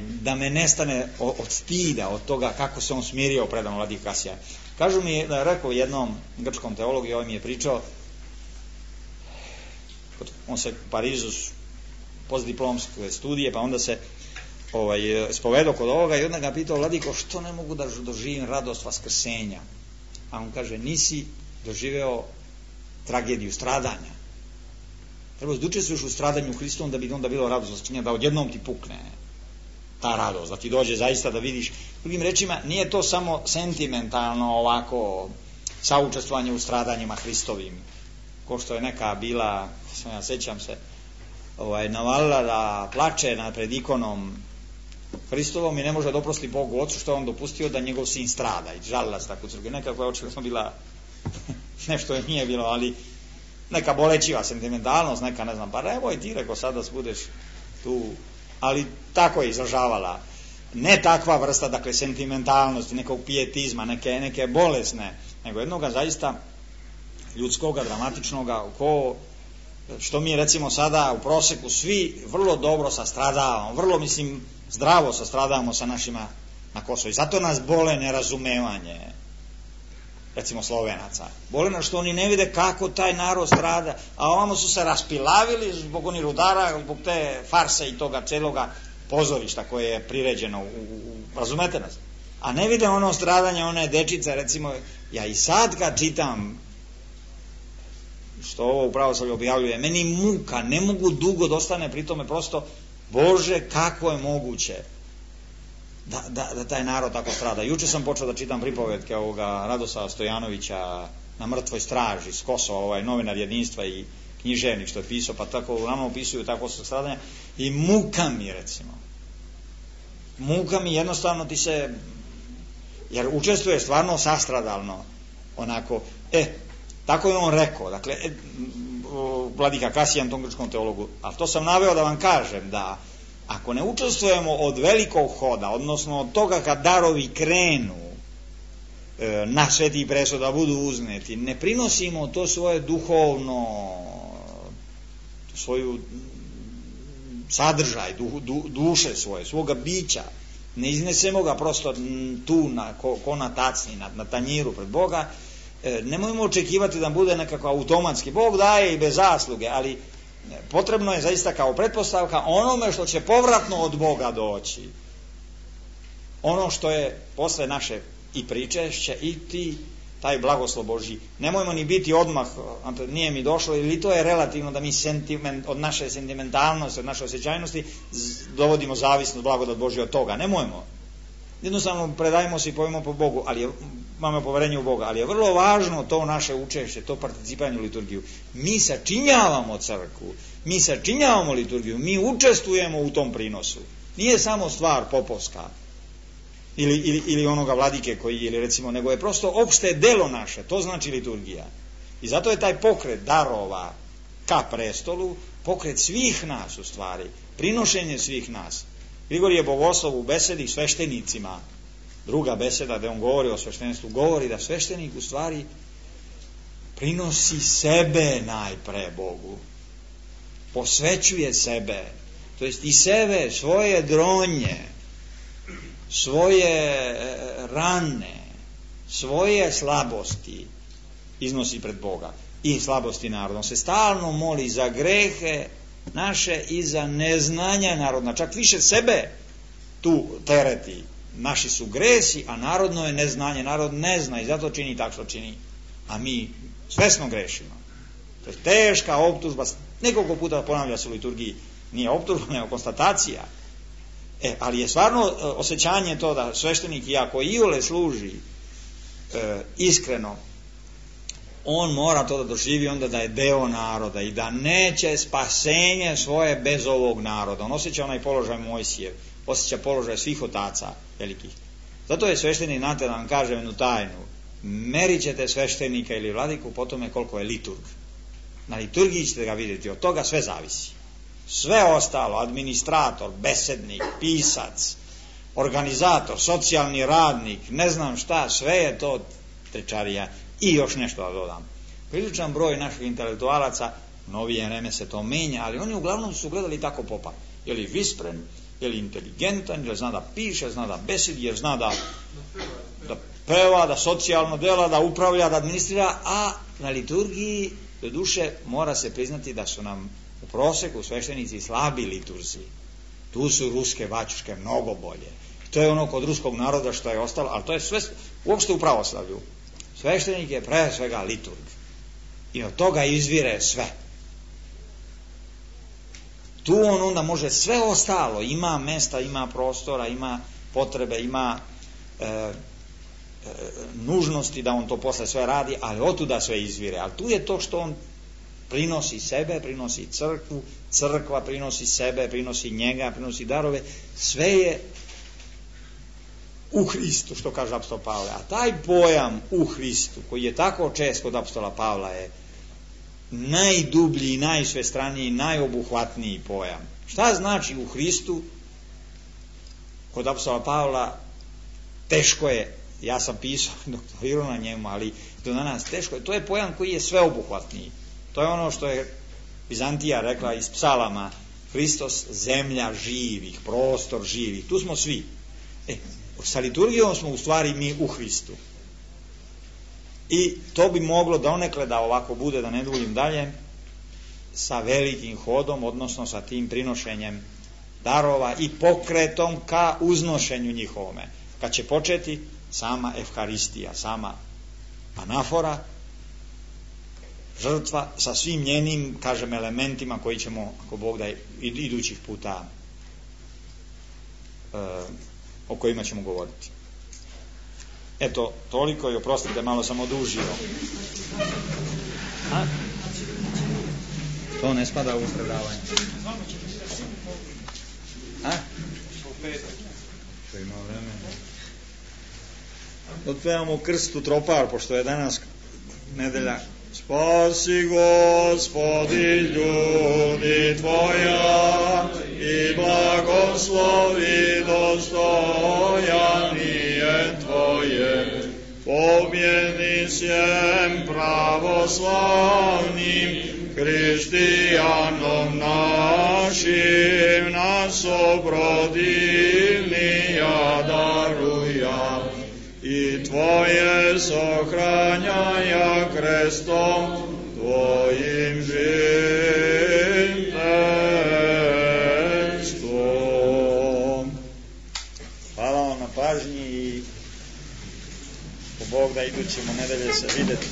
[SPEAKER 2] da me nestane od stida, od toga kako se on smirio predam vladika Kasija. Kažu mi da je rekao jednom grčkom teologu, ovaj mi je pričao, on se u Parizu postdiplomske studije, pa onda se spovedao kod ovoga i onda ga pitao, vladiko, što ne mogu da doživim radost vaskrsenja? A on kaže, nisi doživeo tragediju stradanja. Treba da učestvuješ u stradanju Hristovom da bi onda bilo radosno, da odjednom ti pukne ta radost, da ti dođe zaista da vidiš. Drugim rečima, nije to samo sentimentalno ovako saučestvovanje u stradanjima Hristovim, ko što je neka bila, ja sećam se, navalila da plače pred ikonom Hristovom i ne može da oprosti Bogu Otcu što je on dopustio da njegov sin strada i žalila se tako u crkvi. Nekako je očigledno bila, nešto je nije bilo, ali neka bolećiva sentimentalnost, neka ne znam, pa nemoj ti reko sada budeš tu, ali tako je izražavala. Ne takva vrsta, dakle, sentimentalnosti, nekog pijetizma, neke bolesne, nego jednoga zaista ljudskoga, dramatičnoga, što mi recimo sada u proseku svi vrlo dobro sastradavamo, vrlo zdravo sastradavamo sa našima na Kosovu. I zato nas bole nerazumevanje, recimo Slovenaca. Bole nas što oni ne vide kako taj narod strada, a ovamo su se raspilavili zbog onih rudara, zbog te farse i toga celoga pozorišta koje je priređeno, razumete nas? A ne vide ono stradanje, one dečice, recimo, ja i sad kad čitam što ovo u pravoslavlju objavljuje, meni muka, ne mogu dugo da ostane pri tome, prosto, Bože, kako je moguće da taj narod tako strada. Juče sam počeo da čitam pripovetke ovoga Radoslava Stojanovića Na mrtvoj straži s Kosova, novinar Jedinstva i književnik što je pisao, pa tako uglavnom opisuju tako stradanja i muka mi, recimo. Muka mi, jednostavno ti se, jer učestvuje stvarno sastradalno, onako, tako je on rekao, dakle, vladika Kasijan, tom grčkom teologu, ali to sam naveo da vam kažem, da ako ne učestvujemo od velikog hoda, odnosno od toga kad darovi krenu na sveti presto da budu uzneti, ne prinosimo to svoje duhovno, svoju sadržaj, duše svoje, svoga bića, ne iznesemo ga prosto tu ko na tacni, na tanjiru pred Boga, nemojmo očekivati da bude nekako automatski. Bog daje i bez zasluge, ali potrebno je zaista kao pretpostavka onome što će povratno od Boga doći. Ono što je posle naše i pričešće i taj blagoslov Božji. Nemojmo ni biti odmah, nije mi došlo, ili to je relativno da mi od naše sentimentalnosti, od naše osjećajnosti dovodimo zavisnost, blagodat Božja od toga. Nemojmo. Jednostavno predajmo se i povimo po Bogu, ali imamo poverenje u Boga, ali je vrlo važno to naše učešće, to participanje u liturgiju. Mi sačinjavamo crkvu, mi sačinjavamo liturgiju, mi učestvujemo u tom prinosu. Nije samo stvar popovska ili onoga vladike koji, ili recimo, nego je prosto opšte delo naše, to znači liturgija. I zato je taj pokret darova ka prestolu pokret svih nas u stvari, prinošenje svih nas. Grigorije Bogoslov u besedi sveštenicima, druga beseda gde on govori o sveštenstvu, govori da sveštenik u stvari prinosi sebe najpre Bogu, posvećuje sebe, to jest i sebe, svoje dronje, svoje rane, svoje slabosti iznosi pred Boga i slabosti naroda. On se stalno moli za grehe naše i za neznanja narodna, čak više sebe tu tereti. Naši su gresi, a narodno je neznanje. Narod ne zna i zato čini tako što čini, a mi svesno grešimo. To je teška optužba, nekoliko puta ponavlja se u liturgiji, nije optužba, nego konstatacija. Ali je stvarno osjećanje to da sveštenik, iako iole služi iskreno, on mora to da doživi onda da je deo naroda i da neće spasenje svoje bez ovog naroda. On osjeća onaj položaj Mojsijev, osjeća položaj svih otaca velikih. Zato je sveštenik, znate, da vam kažem jednu tajnu, merit ćete sveštenika ili vladiku po tome koliko je liturg. Na liturgiji ćete ga vidjeti, od toga sve zavisi. Sve ostalo, administrator, besednik, pisac, organizator, socijalni radnik, ne znam šta, sve je to tričarija. I još nešto da dodam. Priličan broj naših intelektualaca, novije vreme se to menja, ali oni uglavnom su gledali tako popa. Je li vispren, je li inteligentan, jer zna da piše, zna da besedi, jer zna da peva, da socijalno dela, da upravlja, da administrira, a na liturgiji, do duše, mora se priznati da su nam u proseku sveštenici slabi liturzi. Tu su ruske bačuške mnogo bolje. To je ono kod ruskog naroda što je ostalo, ali to je sve uopšte u pravoslavlju. Sveštenik je pre svega liturg i od toga izvire sve. tu on onda može sve ostalo, ima mesta, ima prostora, ima potrebe, ima nužnosti da on to posle sve radi, ali otuda sve izvire. Ali tu je to što on prinosi sebe, prinosi crkvu, crkva prinosi sebe, prinosi njega, prinosi darove, sve je u Hristu, što kaže apostol Pavle. A taj pojam u Hristu, koji je tako čest kod apostola Pavla, je najdublji, najsvestraniji, najobuhvatniji pojam. Šta znači u Hristu? Kod apostola Pavla teško je, ja sam pisao, doktorirao na njemu, ali do danas teško je. To je pojam koji je sveobuhvatniji. To je ono što je Vizantija rekla iz psalama, Hristos, zemlja živih, prostor živih. Tu smo svi. Sa liturgijom smo u stvari mi u Hristu. I to bi moglo donekle da ovako bude, da ne duljim dalje, sa velikim hodom, odnosno sa tim prinošenjem darova i pokretom ka uznošenju njihovome. Kad će početi sama Evharistija, sama anafora, žrtva sa svim njenim, kažem, elementima koji ćemo, ako Bog da, idućih puta o kojima ćemo govoriti. Eto, toliko i oprostite, malo sam odužio. To ne spada u predavanje. Što ima vremena. Otpevamo krstu tropar, pošto je danas nedelja. Spasi, Gospodi, ljudi Tvoja i blagoslovi dostojanije Tvoje. Pobjedi sjem pravoslavnim hrištijanom našim, nas obrodilnija daruja. I Tvoje sahranjaja krestom Tvojim žitestvom. Hvala vam na pažnji i po Bog da idućemo nedelje se videti.